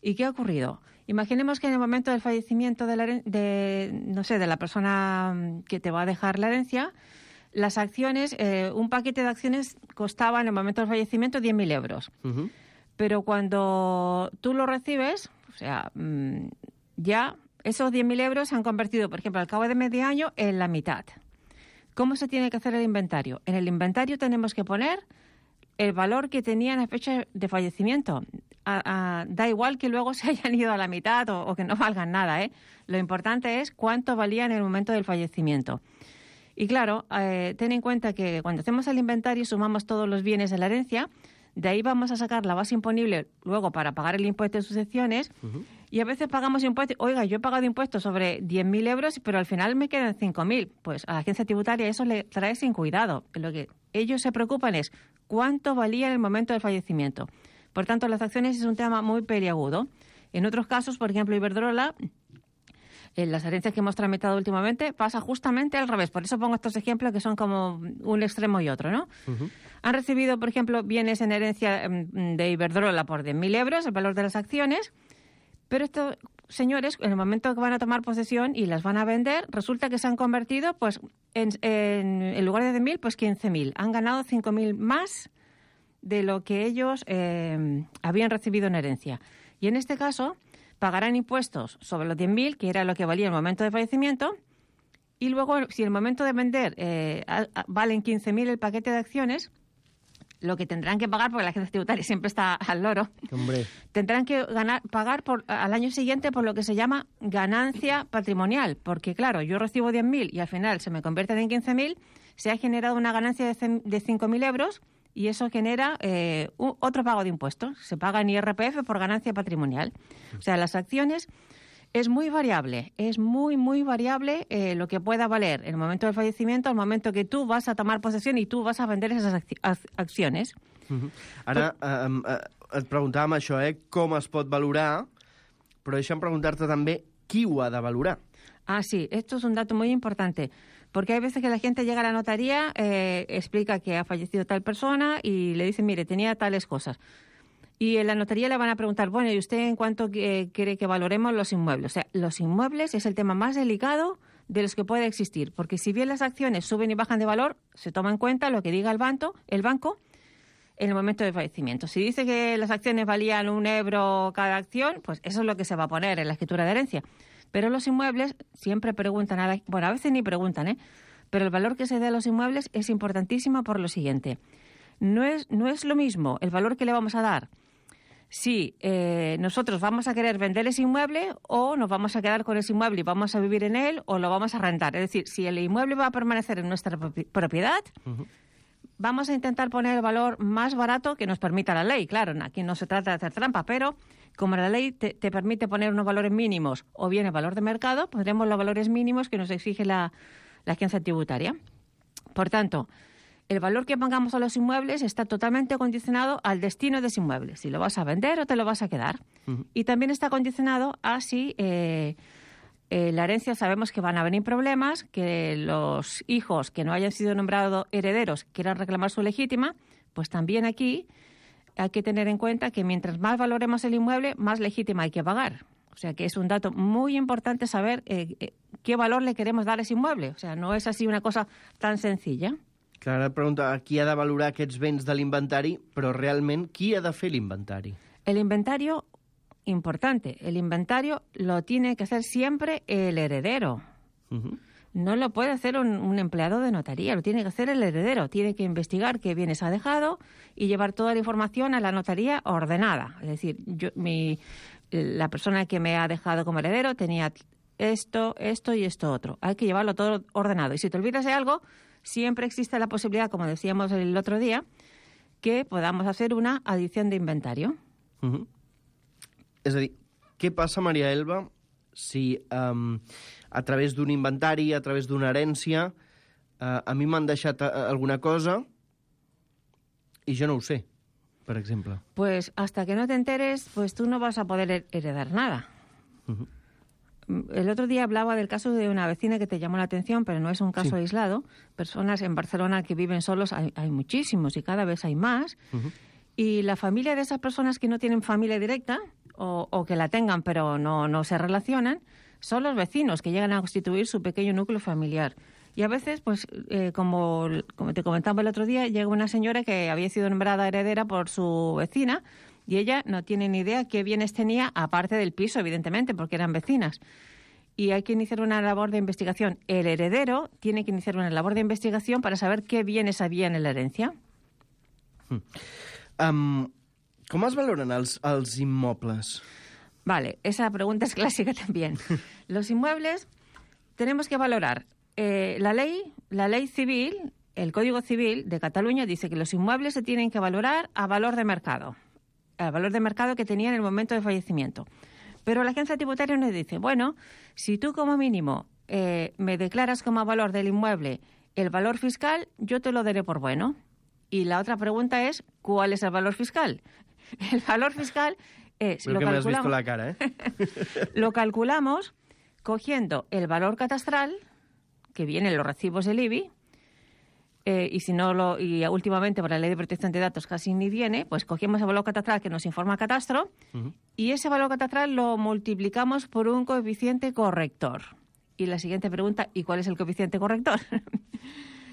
Speaker 8: ¿Y qué ha ocurrido? Imaginemos que en el momento del fallecimiento de la, de, no sé, de la persona que te va a dejar la herencia, las acciones, eh, un paquete de acciones costaba en el momento del fallecimiento diez mil euros. Uh-huh. Pero cuando tú lo recibes, o sea, mmm, ya esos diez mil euros se han convertido, por ejemplo, al cabo de medio año, en la mitad. ¿Cómo se tiene que hacer el inventario? En el inventario tenemos que poner el valor que tenían a fecha de fallecimiento. A, a, da igual que luego se hayan ido a la mitad o, o que no valgan nada, ¿eh? Lo importante es cuánto valía en el momento del fallecimiento. Y claro, eh, ten en cuenta que cuando hacemos el inventario y sumamos todos los bienes de la herencia, de ahí vamos a sacar la base imponible luego para pagar el impuesto de sucesiones. Uh-huh. Y a veces pagamos impuestos. Oiga, yo he pagado impuestos sobre diez mil euros, pero al final me quedan cinco mil. Pues a la agencia tributaria eso le trae sin cuidado. Lo que ellos se preocupan es cuánto valía en el momento del fallecimiento. Por tanto, las acciones es un tema muy peliagudo. En otros casos, por ejemplo, Iberdrola, en las herencias que hemos tramitado últimamente, pasa justamente al revés. Por eso pongo estos ejemplos que son como un extremo y otro, ¿no? Uh-huh. Han recibido, por ejemplo, bienes en herencia de Iberdrola por diez mil euros, el valor de las acciones, pero estos señores, en el momento que van a tomar posesión y las van a vender, resulta que se han convertido, pues, en, en, en lugar de diez mil, pues quince mil. Han ganado cinco mil más de lo que ellos eh, habían recibido en herencia. Y en este caso pagarán impuestos sobre los diez mil, que era lo que valía en el momento de fallecimiento, y luego, si en el momento de vender eh, a, a, valen quince mil el paquete de acciones, lo que tendrán que pagar, porque la agencia tributaria siempre está al loro,
Speaker 4: Hombre.
Speaker 8: tendrán que ganar, pagar por, al año siguiente por lo que se llama ganancia patrimonial, porque claro, yo recibo diez mil y al final se me convierten en quince mil, se ha generado una ganancia de, de cinco mil euros, y eso genera eh, un, otro pago de impuestos. Se paga en I R P F por ganancia patrimonial. O sea, las acciones es muy variable, es muy, muy variable eh, lo que pueda valer en el momento del fallecimiento, al momento que tú vas a tomar posesión y tú vas a vender esas acci acciones.
Speaker 4: Uh-huh. Ara, eh, eh, et preguntàvem això, eh? Com es pot valorar, però deixa'm preguntar-te també qui ho ha de valorar.
Speaker 8: Ah, sí, esto es un dato muy importante. Porque hay veces que la gente llega a la notaría, eh, explica que ha fallecido tal persona y le dicen, mire, tenía tales cosas. Y en la notaría le van a preguntar, bueno, ¿y usted en cuánto eh, quiere que valoremos los inmuebles? O sea, los inmuebles es el tema más delicado de los que puede existir. Porque si bien las acciones suben y bajan de valor, se toma en cuenta lo que diga el banco, el banco en el momento de fallecimiento. Si dice que las acciones valían un euro cada acción, pues eso es lo que se va a poner en la escritura de herencia. Pero los inmuebles siempre preguntan, a la, bueno, a veces ni preguntan, ¿eh? Pero el valor que se da a los inmuebles es importantísimo por lo siguiente. No es, no es lo mismo el valor que le vamos a dar si eh, nosotros vamos a querer vender ese inmueble o nos vamos a quedar con ese inmueble y vamos a vivir en él o lo vamos a rentar. Es decir, si el inmueble va a permanecer en nuestra propiedad, uh-huh. vamos a intentar poner el valor más barato que nos permita la ley. Claro, aquí no se trata de hacer trampa, pero como la ley te, te permite poner unos valores mínimos o bien el valor de mercado, pondremos los valores mínimos que nos exige la, la agencia tributaria. Por tanto, el valor que pongamos a los inmuebles está totalmente condicionado al destino de ese inmueble, si lo vas a vender o te lo vas a quedar. Uh-huh. Y también está condicionado a si eh, eh, la herencia sabemos que van a venir problemas, que los hijos que no hayan sido nombrados herederos quieran reclamar su legítima, pues también aquí hay que tener en cuenta que mientras más valoremos el inmueble, más legítima hay que pagar. O sea que es un dato muy importante saber eh, eh, qué valor le queremos dar a ese inmueble. O sea, no es así una cosa tan sencilla.
Speaker 4: Clara pregunta qui ha de valorar aquests béns de l'inventari, però realment qui ha de fer l'inventari?
Speaker 8: El inventario, importante, el inventario lo tiene que hacer siempre el heredero. Uh-huh. No lo puede hacer un, un empleado de notaría, lo tiene que hacer el heredero. Tiene que investigar qué bienes ha dejado y llevar toda la información a la notaría ordenada. Es decir, yo, mi, la persona que me ha dejado como heredero tenía esto, esto y esto otro. Hay que llevarlo todo ordenado. Y si te olvidas de algo, siempre existe la posibilidad, como decíamos el otro día, que podamos hacer una adición de inventario.
Speaker 4: Uh-huh. És a dir, què passa, Maria Elba, si um, a través d'un inventari, a través d'una herència, uh, a mi m'han deixat uh, alguna cosa i jo no ho sé, per exemple?
Speaker 8: Pues hasta que no te enteres, pues tú no vas a poder heredar nada. Uh-huh. El otro día hablaba del caso de una vecina que te llamó la atención, pero no es un caso sí. aislado. Personas en Barcelona que viven solos, hay, hay muchísimos y cada vez hay más. Uh-huh. Y la familia de esas personas que no tienen familia directa, o, o que la tengan pero no, no se relacionan, son los vecinos que llegan a constituir su pequeño núcleo familiar. Y a veces, pues, eh, como, como te comentaba el otro día, llega una señora que había sido nombrada heredera por su vecina y ella no tiene ni idea qué bienes tenía, aparte del piso, evidentemente, porque eran vecinas. Y hay que iniciar una labor de investigación. El heredero tiene que iniciar una labor de investigación para saber qué bienes había en la herencia.
Speaker 4: Hmm. Um, ¿Cómo es valoran els, els inmobles?
Speaker 8: Vale, esa pregunta es clásica también. Los inmuebles tenemos que valorar. Eh, la ley, la ley civil, el Código Civil de Cataluña dice que los inmuebles se tienen que valorar a valor de mercado, al valor de mercado que tenía en el momento de fallecimiento. Pero la agencia tributaria nos dice, bueno, si tú como mínimo eh, me declaras como valor del inmueble el valor fiscal, yo te lo daré por bueno. Y la otra pregunta es, ¿cuál es el valor fiscal? El valor fiscal es...
Speaker 4: Lo, lo que me has visto la cara, ¿eh?
Speaker 8: Lo calculamos cogiendo el valor catastral, que viene en los recibos del I B I, eh, y si no lo y últimamente por la Ley de Protección de Datos casi ni viene, pues cogemos el valor catastral que nos informa Catastro, uh-huh. y ese valor catastral lo multiplicamos por un coeficiente corrector. Y la siguiente pregunta, ¿y cuál es el coeficiente corrector?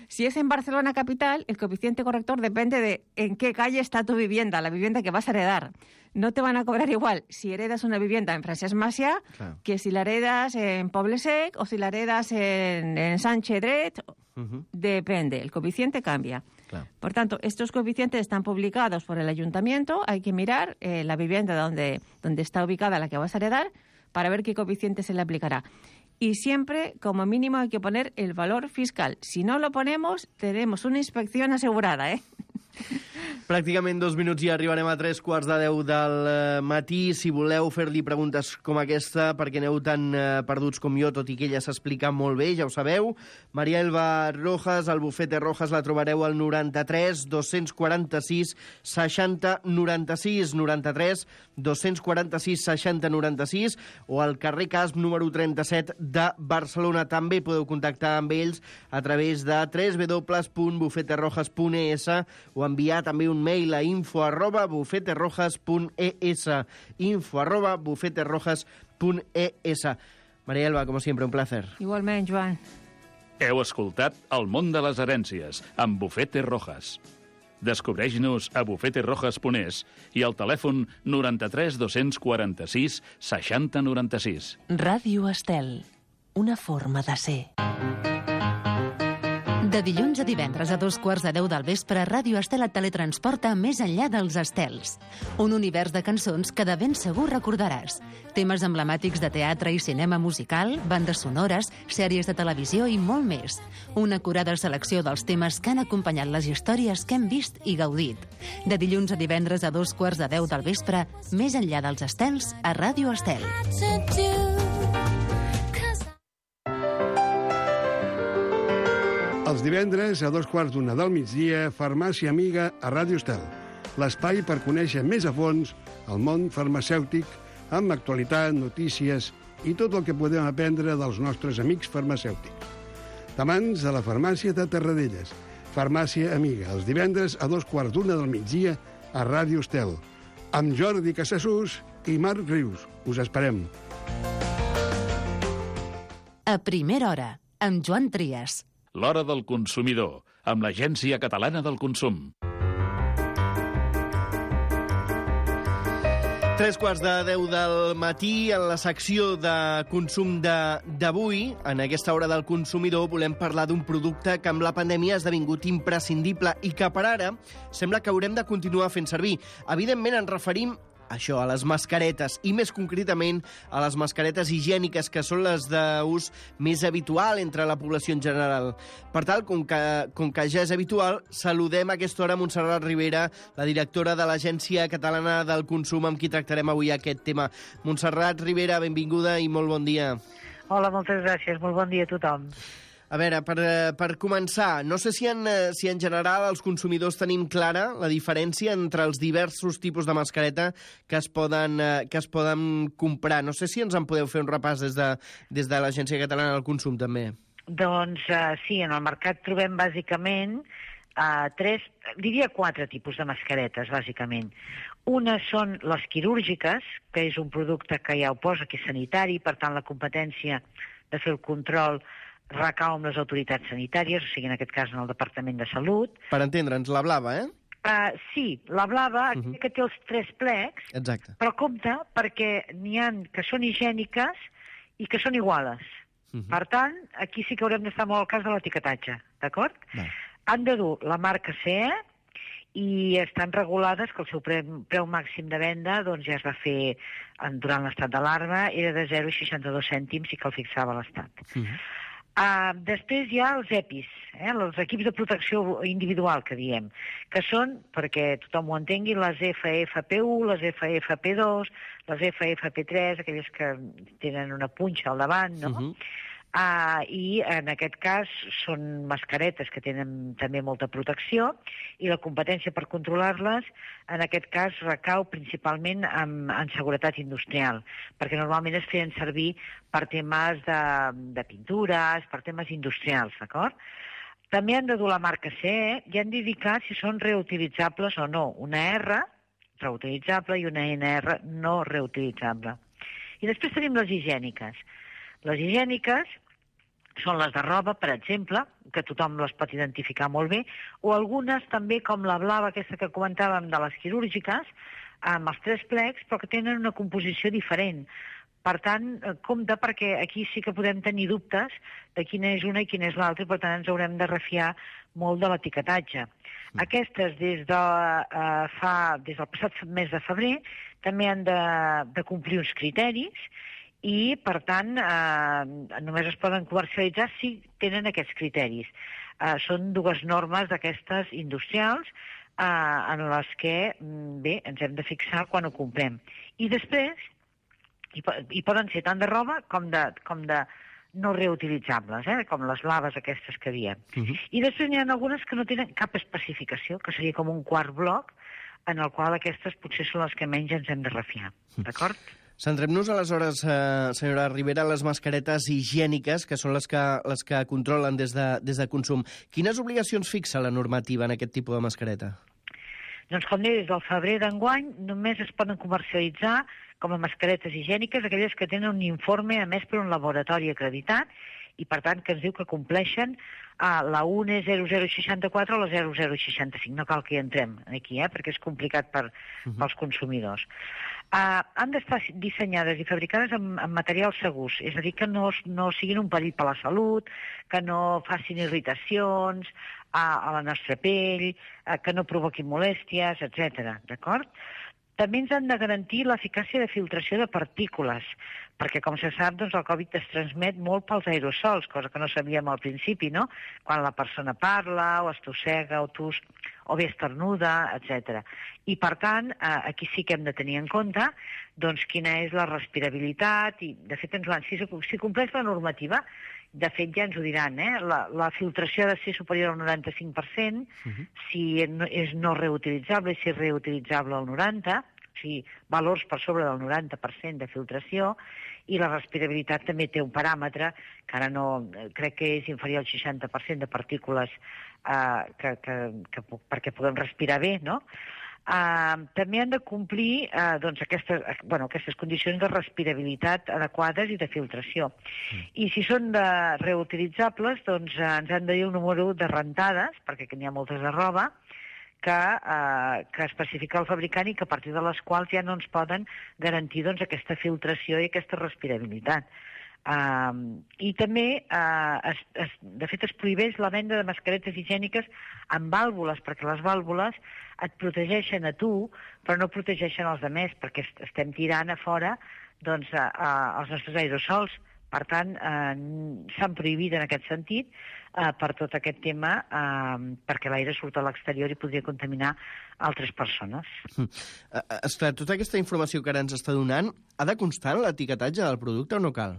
Speaker 8: Si es en Barcelona capital, el coeficiente corrector depende de en qué calle está tu vivienda, la vivienda que vas a heredar. No te van a cobrar igual si heredas una vivienda en Francesc Macià claro. que si la heredas en Poble Sec o si la heredas en, en Sánchez Dret. Uh-huh. Depende, el coeficiente cambia. Claro. Por tanto, estos coeficientes están publicados por el ayuntamiento. Hay que mirar eh, la vivienda donde, donde está ubicada la que vas a heredar para ver qué coeficiente se le aplicará. Y siempre, como mínimo, hay que poner el valor fiscal. Si no lo ponemos, tenemos una inspección asegurada, ¿eh?
Speaker 4: Pràcticament dos minuts i arribarem a tres quarts de deu del matí. Si voleu fer-li preguntes com aquesta, perquè aneu tan eh, perduts com jo, tot i que ella s'explica molt bé, ja ho sabeu. Maria Elba Rojas, al Bufete Rojas, la trobareu al noranta-tres dos-cents quaranta-sis seixanta noranta-sis, noranta-tres dos-cents quaranta-sis seixanta noranta-sis, o al carrer Casp número trenta-set de Barcelona. També podeu contactar amb ells a través de w w w punt bufete rojas punt e s o enviar també un mail a info arroba bufete rojas punt e s, info arroba bufete rojas punt e s. Maria Elba, com sempre, un placer.
Speaker 8: Igualment, Joan.
Speaker 7: Heu escoltat El món de les herències amb Bufete Rojas. Descobreix-nos a bufete rojas punt e s i al telèfon noranta-tres dos-cents quaranta-sis seixanta noranta-sis.
Speaker 3: Ràdio Estel, una forma de ser. De dilluns a divendres a dos quarts de deu del vespre, Ràdio Estel et teletransporta més enllà dels estels. Un univers de cançons que de ben segur recordaràs. Temes emblemàtics de teatre i cinema musical, bandes sonores, sèries de televisió i molt més. Una acurada selecció dels temes que han acompanyat les històries que hem vist i gaudit. De dilluns a divendres a dos quarts de deu del vespre, més enllà dels estels, a Ràdio Estel.
Speaker 9: Els divendres, a dos quarts d'una del migdia, Farmàcia Amiga a Ràdio Estel. L'espai per conèixer més a fons el món farmacèutic, amb actualitat, notícies i tot el que podem aprendre dels nostres amics farmacèutics. De mans de la Farmàcia de Terradelles. Farmàcia Amiga, els divendres a dos quarts d'una del migdia a Ràdio Estel. Amb Jordi Casassús i Marc Rius. Us esperem.
Speaker 3: A primera hora, amb Joan Trias.
Speaker 7: L'Hora del Consumidor, amb l'Agència Catalana del Consum.
Speaker 4: Tres quarts de deu del matí, en la secció de consum d'avui, en aquesta hora del consumidor, volem parlar d'un producte que amb la pandèmia ha esdevingut imprescindible i que per ara sembla que haurem de continuar fent servir. Evidentment ens referim això, a les mascaretes, i més concretament a les mascaretes higièniques, que són les d'ús més habitual entre la població en general. Per tant, com que, com que ja és habitual, saludem a aquesta hora Montserrat Ribera, la directora de l'Agència Catalana del Consum, amb qui tractarem avui aquest tema. Montserrat Ribera, benvinguda i molt bon dia.
Speaker 5: Hola, moltes gràcies. Molt bon dia a tothom.
Speaker 4: A veure, per, per començar, no sé si en, si en general els consumidors tenim clara la diferència entre els diversos tipus de mascareta que es poden, que es poden comprar. No sé si ens en podeu fer un repàs des de, des de l'Agència Catalana del Consum, també.
Speaker 5: Doncs uh, sí, en el mercat trobem bàsicament uh, tres, diria quatre tipus de mascaretes, bàsicament. Una són les quirúrgiques, que és un producte que ja ho posa, que és sanitari, per tant la competència de fer el control recau amb les autoritats sanitàries, o sigui, en aquest cas en el Departament de Salut.
Speaker 4: Per entendre'ns, la blava, eh?
Speaker 5: Uh, sí, la blava, uh -huh. que té els tres plecs,
Speaker 4: exacte,
Speaker 5: però compte perquè n'hi ha que són higièniques i que són iguales. Uh -huh. Per tant, aquí sí que haurem d'estar molt al cas de l'etiquetatge, d'acord? Han de dur la marca C E i estan regulades que el seu preu, preu màxim de venda doncs, ja es va fer en, durant l'estat d'alarma, era de zero coma seixanta-dos cèntims i que el fixava l'Estat. Uh -huh. Uh, després hi ha els EPIs, eh, els equips de protecció individual, que diem, que són, perquè tothom ho entengui, les F F P u, les F F P dos, les F F P tres, aquelles que tenen una punxa al davant, no? Uh-huh. Uh, I en aquest cas són mascaretes que tenen també molta protecció i la competència per controlar-les en aquest cas recau principalment en, en seguretat industrial, perquè normalment es feien servir per temes de, de pintures, per temes industrials, d'acord? També han de dur la marca C E i han d'indicar si són reutilitzables o no. Una R, reutilitzable, i una N R, no reutilitzable. I després tenim les higièniques. Les higièniques són les de roba, per exemple, que tothom les pot identificar molt bé, o algunes també, com la blava, aquesta que comentàvem de les quirúrgiques, amb els tres plecs, però que tenen una composició diferent. Per tant, compte, perquè aquí sí que podem tenir dubtes de quina és una i quina és l'altra, i per tant ens haurem de refiar molt de l'etiquetatge. Mm. Aquestes, des, de, uh, fa, des del passat mes de febrer, també han de, de complir uns criteris, i, per tant, eh, només es poden comercialitzar si tenen aquests criteris. Eh, són dues normes d'aquestes industrials eh, en les que, bé, ens hem de fixar quan ho comprem. I després, hi, hi poden ser tant de roba com de, com de no reutilitzables, eh, com les blaves aquestes que diem. Uh-huh. I després n'hi ha algunes que no tenen cap especificació, que seria com un quart bloc, en el qual aquestes potser són les que menys ens hem de refiar. D'acord?
Speaker 4: Centrem-nos aleshores, eh, senyora Ribera, les mascaretes higièniques, que són les que, les que controlen des de, des de consum. Quines obligacions fixa la normativa en aquest tipus de mascareta?
Speaker 5: Doncs, com deia, des del febrer d'enguany només es poden comercialitzar com a mascaretes higièniques aquelles que tenen un informe emès per un laboratori acreditat i, per tant, que ens diu que compleixen a la U N E zero zero seixanta-quatre o la zero zero seixanta-cinc. No cal que hi entrem aquí, eh, perquè és complicat per, uh-huh. pels consumidors. Uh, han d'estar dissenyades i fabricades amb, amb materials segurs, és a dir, que no, no siguin un perill per a la salut, que no facin irritacions a, a la nostra pell, uh, que no provoquin molèsties, etcètera. D'acord? També ens han de garantir l'eficàcia de filtració de partícules, perquè, com se sap, doncs, el Covid es transmet molt pels aerosols, cosa que no sabíem al principi, no? Quan la persona parla, o estossega, o tus, o bé estornuda, etcètera. I, per tant, eh, aquí sí que hem de tenir en compte doncs, quina és la respirabilitat, i, de fet, ens l'han, si, si compleix la normativa, de fet, ja ens ho diran, eh? La, la filtració ha de ser superior al noranta-cinc per cent, uh-huh. si no, és no reutilitzable, i si és reutilitzable al noranta per cent, o sigui, valors per sobre del noranta per cent de filtració, i la respirabilitat també té un paràmetre, que ara no, crec que és inferior al seixanta per cent de partícules eh, que, que, que, perquè puguem respirar bé, no? Uh, també han de complir uh, doncs aquestes, bueno, aquestes condicions de respirabilitat adequades i de filtració. Mm. I si són de reutilitzables, doncs uh, ens han de dir el número de rentades, perquè n'hi ha moltes de roba, que, uh, que especifica el fabricant i que a partir de les quals ja no ens poden garantir doncs, aquesta filtració i aquesta respirabilitat. Uh, I també, uh, es, es, de fet, es prohibeix la venda de mascaretes higièniques amb vàlvules, perquè les vàlvules et protegeixen a tu, però no protegeixen els altres, perquè est estem tirant a fora doncs, a, a, els nostres aerosols. Per tant, eh, s'han prohibit en aquest sentit eh, per tot aquest tema, eh, perquè l'aire surt a l'exterior i podria contaminar altres persones.
Speaker 4: Mm. Uh, esclar, tota aquesta informació que ara ens està donant, ha de constar en l'etiquetatge del producte o no cal?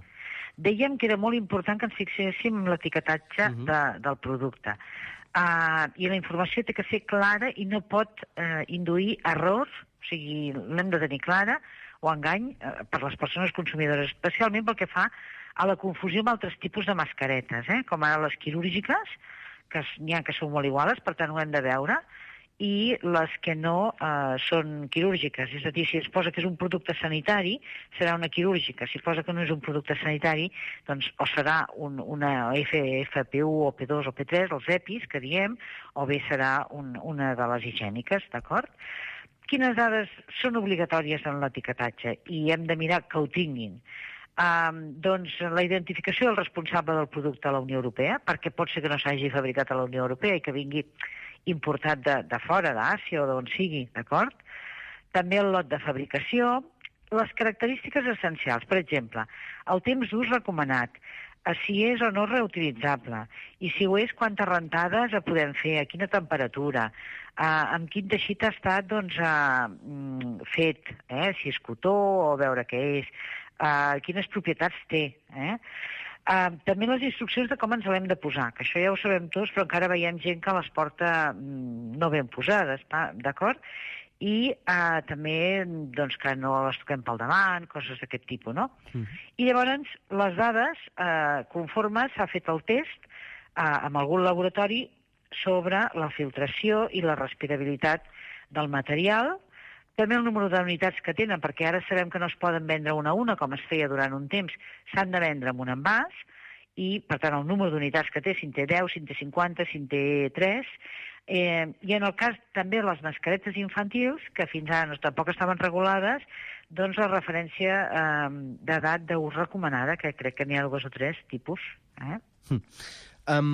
Speaker 5: Dèiem que era molt important que ens fixéssim en l'etiquetatge uh-huh. de, del producte. Uh, I la informació té que ser clara i no pot uh, induir errors, o sigui, l'hem de tenir clara, o engany uh, per les persones consumidores, especialment pel que fa a la confusió amb altres tipus de mascaretes, eh? Com ara les quirúrgiques, que n'hi ha que són molt iguals, per tant ho hem de veure, i les que no eh, són quirúrgiques. És a dir, si es posa que és un producte sanitari, serà una quirúrgica. Si es posa que no és un producte sanitari, doncs o serà un, una F F P u o P dos o P tres, els EPIs, que diem, o bé serà un, una de les higièniques, d'acord? Quines dades són obligatòries en l'etiquetatge i hem de mirar que ho tinguin? Um, doncs la identificació del responsable del producte a la Unió Europea, perquè pot ser que no s'hagi fabricat a la Unió Europea i que vingui importat de, de fora, d'Àsia o d'on sigui, d'acord? També el lot de fabricació, les característiques essencials, per exemple, el temps d'ús recomanat, si és o no reutilitzable, i si ho és, quantes rentades podem fer, a quina temperatura, eh, amb quin teixit ha estat doncs, eh, fet, eh, si és cotó o veure què és, eh, quines propietats té, eh? Uh, també les instruccions de com ens l'hem de posar, que això ja ho sabem tots, però encara veiem gent que les porta mm, no ben posades, d'acord? I uh, també doncs, que no les toquem pel davant, coses d'aquest tipus, no? Mm. I llavors les dades, uh, conforme s'ha fet el test uh, amb algun laboratori sobre la filtració i la respirabilitat del material, també el número d'unitats que tenen, perquè ara sabem que no es poden vendre una a una, com es feia durant un temps, s'han de vendre amb un envàs, i, per tant, el número d'unitats que té, si en té deu, si en té cinquanta, si en té tres, eh, i en el cas també de les mascaretes infantils, que fins ara no, tampoc estaven regulades, doncs la referència eh, d'edat d'ús recomanada, que crec que n'hi ha dos o tres tipus. Eh?
Speaker 4: Mm. Um...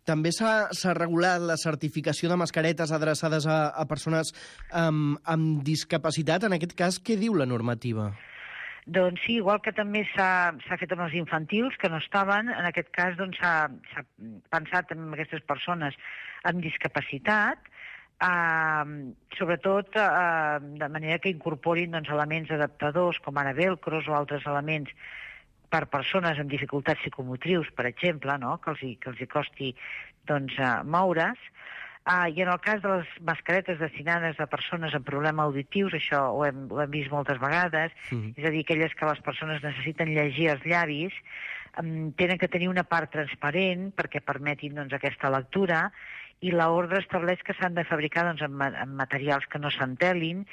Speaker 4: També s'ha regulat la certificació de mascaretes adreçades a, a persones um, amb discapacitat. En aquest cas, què diu la normativa?
Speaker 5: Doncs sí, igual que també s'ha fet amb els infantils, que no estaven, en aquest cas doncs, s'ha pensat en aquestes persones amb discapacitat, eh, sobretot eh, de manera que incorporin doncs, elements adaptadors, com ara velcros o altres elements per persones amb dificultats psicomotrius, per exemple, no? que, els hi, que els hi costi doncs, uh, moure's. Uh, I en el cas de les mascaretes destinades a persones amb problemes auditius, això ho hem, ho hem vist moltes vegades, mm. és a dir, aquelles que les persones necessiten llegir els llavis, um, tenen que tenir una part transparent perquè permetin doncs, aquesta lectura, i l'ordre estableix que s'han de fabricar doncs, amb, amb materials que no s'entelin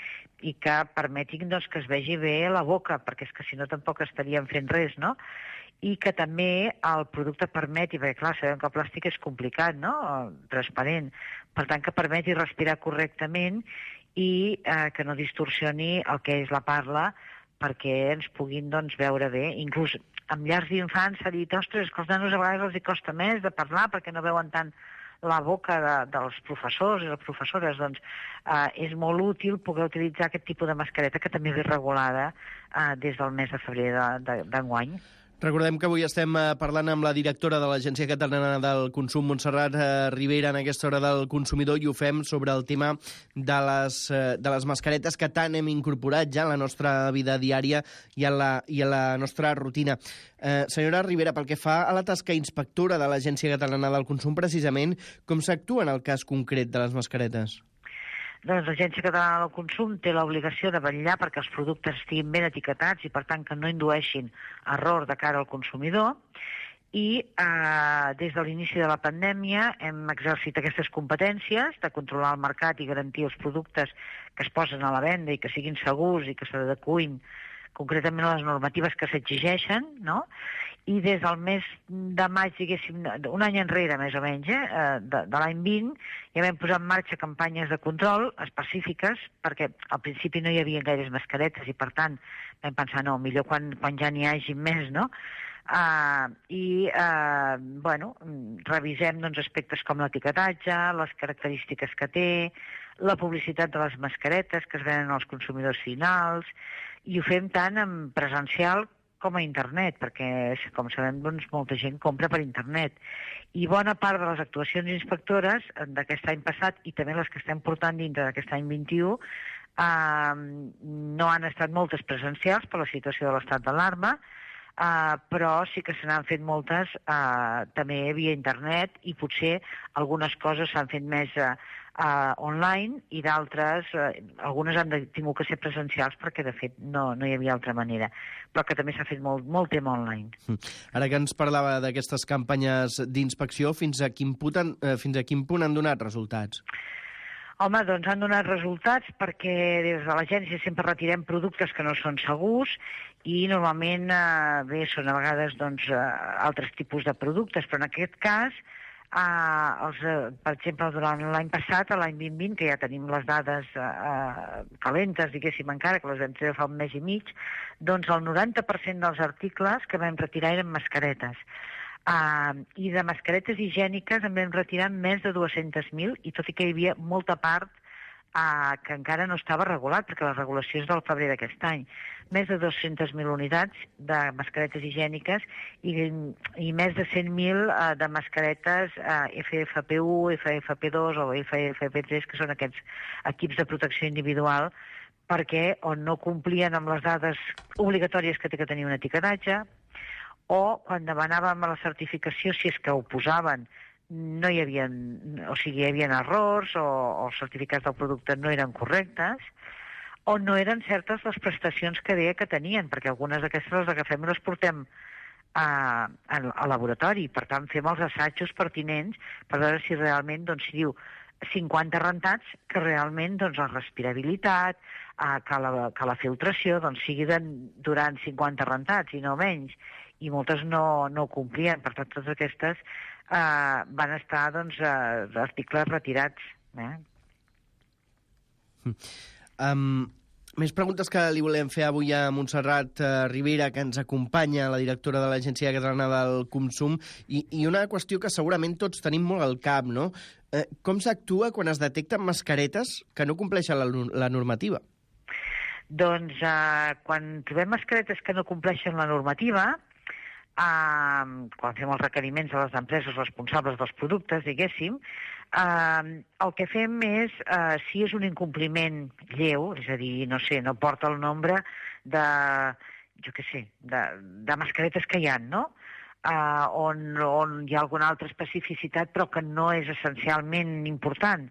Speaker 5: i que permetin doncs, que es vegi bé la boca, perquè és que si no tampoc estaríem fent res, no? I que també el producte permeti, perquè clar, sabem que el plàstic és complicat, no? Transparent, per tant que permeti respirar correctament i eh, que no distorsioni el que és la parla perquè ens puguin doncs, veure bé. Inclús amb llars d'infants s'ha dit, ostres, que als nanos a vegades els hi costa més de parlar perquè no veuen tant la boca de, dels professors i les professores, doncs eh, és molt útil poder utilitzar aquest tipus de mascareta que també ve regulada eh, des del mes de febrer d'enguany. De,
Speaker 4: Recordem que avui estem parlant amb la directora de l'Agència Catalana del Consum, Montserrat Ribera, en aquesta hora del consumidor, i ho fem sobre el tema de les, de les mascaretes que tant hem incorporat ja en la nostra vida diària i a la, i a la nostra rutina. Eh, senyora Ribera, pel que fa a la tasca inspectora de l'Agència Catalana del Consum, precisament, com s'actua en el cas concret de les mascaretes?
Speaker 5: Doncs l'Agència Catalana del Consum té l'obligació de vetllar perquè els productes estiguin ben etiquetats i, per tant, que no indueixin error de cara al consumidor. I eh, des de l'inici de la pandèmia hem exercit aquestes competències de controlar el mercat i garantir els productes que es posen a la venda i que siguin segurs i que s'adecuïn concretament a les normatives que s'exigeixen, no? I des del mes de maig, diguéssim, un any enrere, més o menys, eh, de, de l'any vint, ja vam posar en marxa campanyes de control específiques, perquè al principi no hi havia gaires mascaretes i, per tant, vam pensar, no, millor quan, quan ja n'hi hagi més, no? Uh, I, uh, bueno, revisem doncs, aspectes com l'etiquetatge, les característiques que té, la publicitat de les mascaretes que es venen als consumidors finals, i ho fem tant en presencial com a internet, perquè, com sabem, doncs, molta gent compra per internet. I bona part de les actuacions inspectores d'aquest any passat, i també les que estem portant dintre d'aquest any vint-i-u, eh, no han estat moltes presencials per la situació de l'estat d'alarma, eh, però sí que se n'han fet moltes eh, també via internet, i potser algunes coses s'han fet més eh, Uh, online, i d'altres, uh, algunes han de, tingut que ser presencials perquè, de fet, no, no hi havia altra manera, però que també s'ha fet molt, molt tema online.
Speaker 4: Ara que ens parlava d'aquestes campanyes d'inspecció, fins a quin punt han, eh, fins a quin punt han donat resultats?
Speaker 5: Home, doncs han donat resultats perquè des de l'agència sempre retirem productes que no són segurs, i normalment, eh, bé, són a vegades doncs, eh, altres tipus de productes, però en aquest cas, Uh, els, uh, per exemple, durant l'any passat, l'any vint vint, que ja tenim les dades uh, calentes, diguéssim encara, que les vam treure fa un mes i mig, doncs el noranta per cent dels articles que vam retirar eren mascaretes. Uh, I de mascaretes higièniques en vam retirar més de dues-centes mil, i tot i que hi havia molta part uh, que encara no estava regulat, perquè la regulació és del febrer d'aquest any. Més de dues-centes mil unitats de mascaretes higièniques i, i més de cent mil uh, de mascaretes uh, F F P u, F F P dos o F F P tres, que són aquests equips de protecció individual, perquè on no complien amb les dades obligatòries que té que tenir un etiquetatge, o quan demanàvem la certificació, si és que ho posaven, no hi havia, o sigui, hi havia errors, o, o els certificats del producte no eren correctes, o no eren certes les prestacions que deia que tenien, perquè algunes d'aquestes les agafem i les portem a, a, a laboratori. Per tant, fem els assajos pertinents per veure si realment, doncs, si diu cinquanta rentats, que realment doncs, la respirabilitat, eh, que, la, que la filtració doncs, sigui de, durant cinquanta rentats i no menys, i moltes no, no ho complien. Per tant, totes aquestes eh, van estar doncs, eh, articles retirats. Eh?
Speaker 4: Um, més preguntes que li volem fer avui a Montserrat uh, Ribera, que ens acompanya, la directora de l'Agència Catalana del Consum, i, i una qüestió que segurament tots tenim molt al cap, no? Uh, com s'actua quan es detecten mascaretes que no compleixen la, la normativa?
Speaker 5: Doncs uh, quan trobem mascaretes que no compleixen la normativa, uh, quan fem els requeriments a les empreses responsables dels productes, diguéssim, Uh, el que fem és, uh, si és un incompliment lleu, és a dir, no sé, no porta el nombre de, jo què sé, de, de mascaretes que hi ha, no? Uh, on, on hi ha alguna altra especificitat, però que no és essencialment important,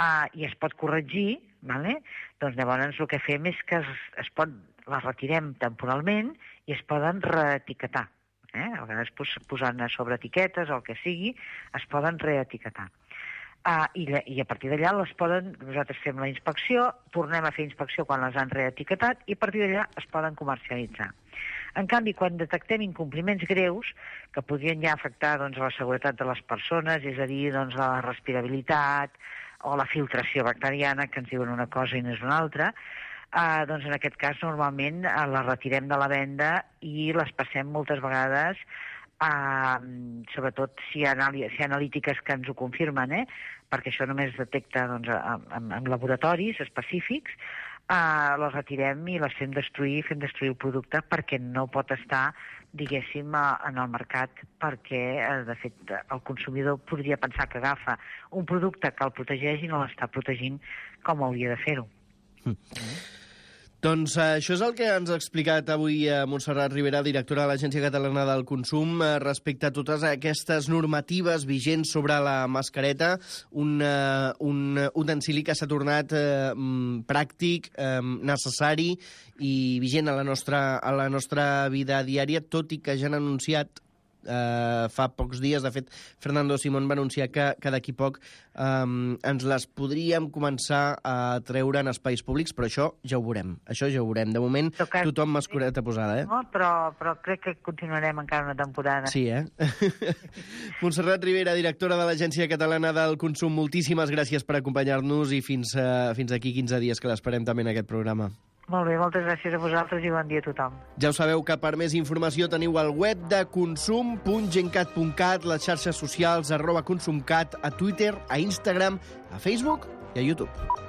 Speaker 5: uh, i es pot corregir, vale? Doncs llavors el que fem és que es, es pot, les retirem temporalment i es poden reetiquetar. Eh? A vegades posant sobre etiquetes o el que sigui, es poden reetiquetar. Uh, i, i a partir d'allà les poden, nosaltres fem la inspecció, tornem a fer inspecció quan les han reetiquetat i a partir d'allà es poden comercialitzar. En canvi, quan detectem incompliments greus que podrien ja afectar doncs, la seguretat de les persones, és a dir, doncs, la respirabilitat o la filtració bacteriana, que ens diuen una cosa i no és una altra, uh, doncs en aquest cas normalment uh, les retirem de la venda i les passem moltes vegades, uh, sobretot si hi ha, si hi ha analítiques que ens ho confirmen, eh? Perquè això només es detecta doncs, en, en laboratoris específics, uh, les retirem i les fem destruir, fem destruir el producte perquè no pot estar, diguéssim, en el mercat, perquè, de fet, el consumidor podria pensar que agafa un producte que el protegeix i no l'està protegint com hauria de fer-ho.
Speaker 4: Mm. Mm. Doncs uh, això és el que ens ha explicat avui uh, Montserrat Ribera, directora de l'Agència Catalana del Consum, uh, respecte a totes aquestes normatives vigents sobre la mascareta, un, uh, un utensili que s'ha tornat uh, pràctic, um, necessari i vigent a la, nostra, a la nostra vida diària, tot i que ja han anunciat eh, fa pocs dies. De fet, Fernando Simón va anunciar que, que d'aquí poc eh, ens les podríem començar a treure en espais públics, però això ja ho veurem. Això ja ho veurem. De moment,
Speaker 5: Tocat...
Speaker 4: tothom mascareta posada, eh?
Speaker 5: No, però, però crec que continuarem encara una temporada.
Speaker 4: Sí, eh? Montserrat Ribera, directora de l'Agència Catalana del Consum, moltíssimes gràcies per acompanyar-nos i fins, uh, fins aquí quinze dies que l'esperem també en aquest programa.
Speaker 5: Molt bé, moltes gràcies a vosaltres i bon dia a tothom.
Speaker 4: Ja ho sabeu que per més informació teniu al web de consum punt gencat punt cat, les xarxes socials arroba consumcat, a Twitter, a Instagram, a Facebook i a YouTube.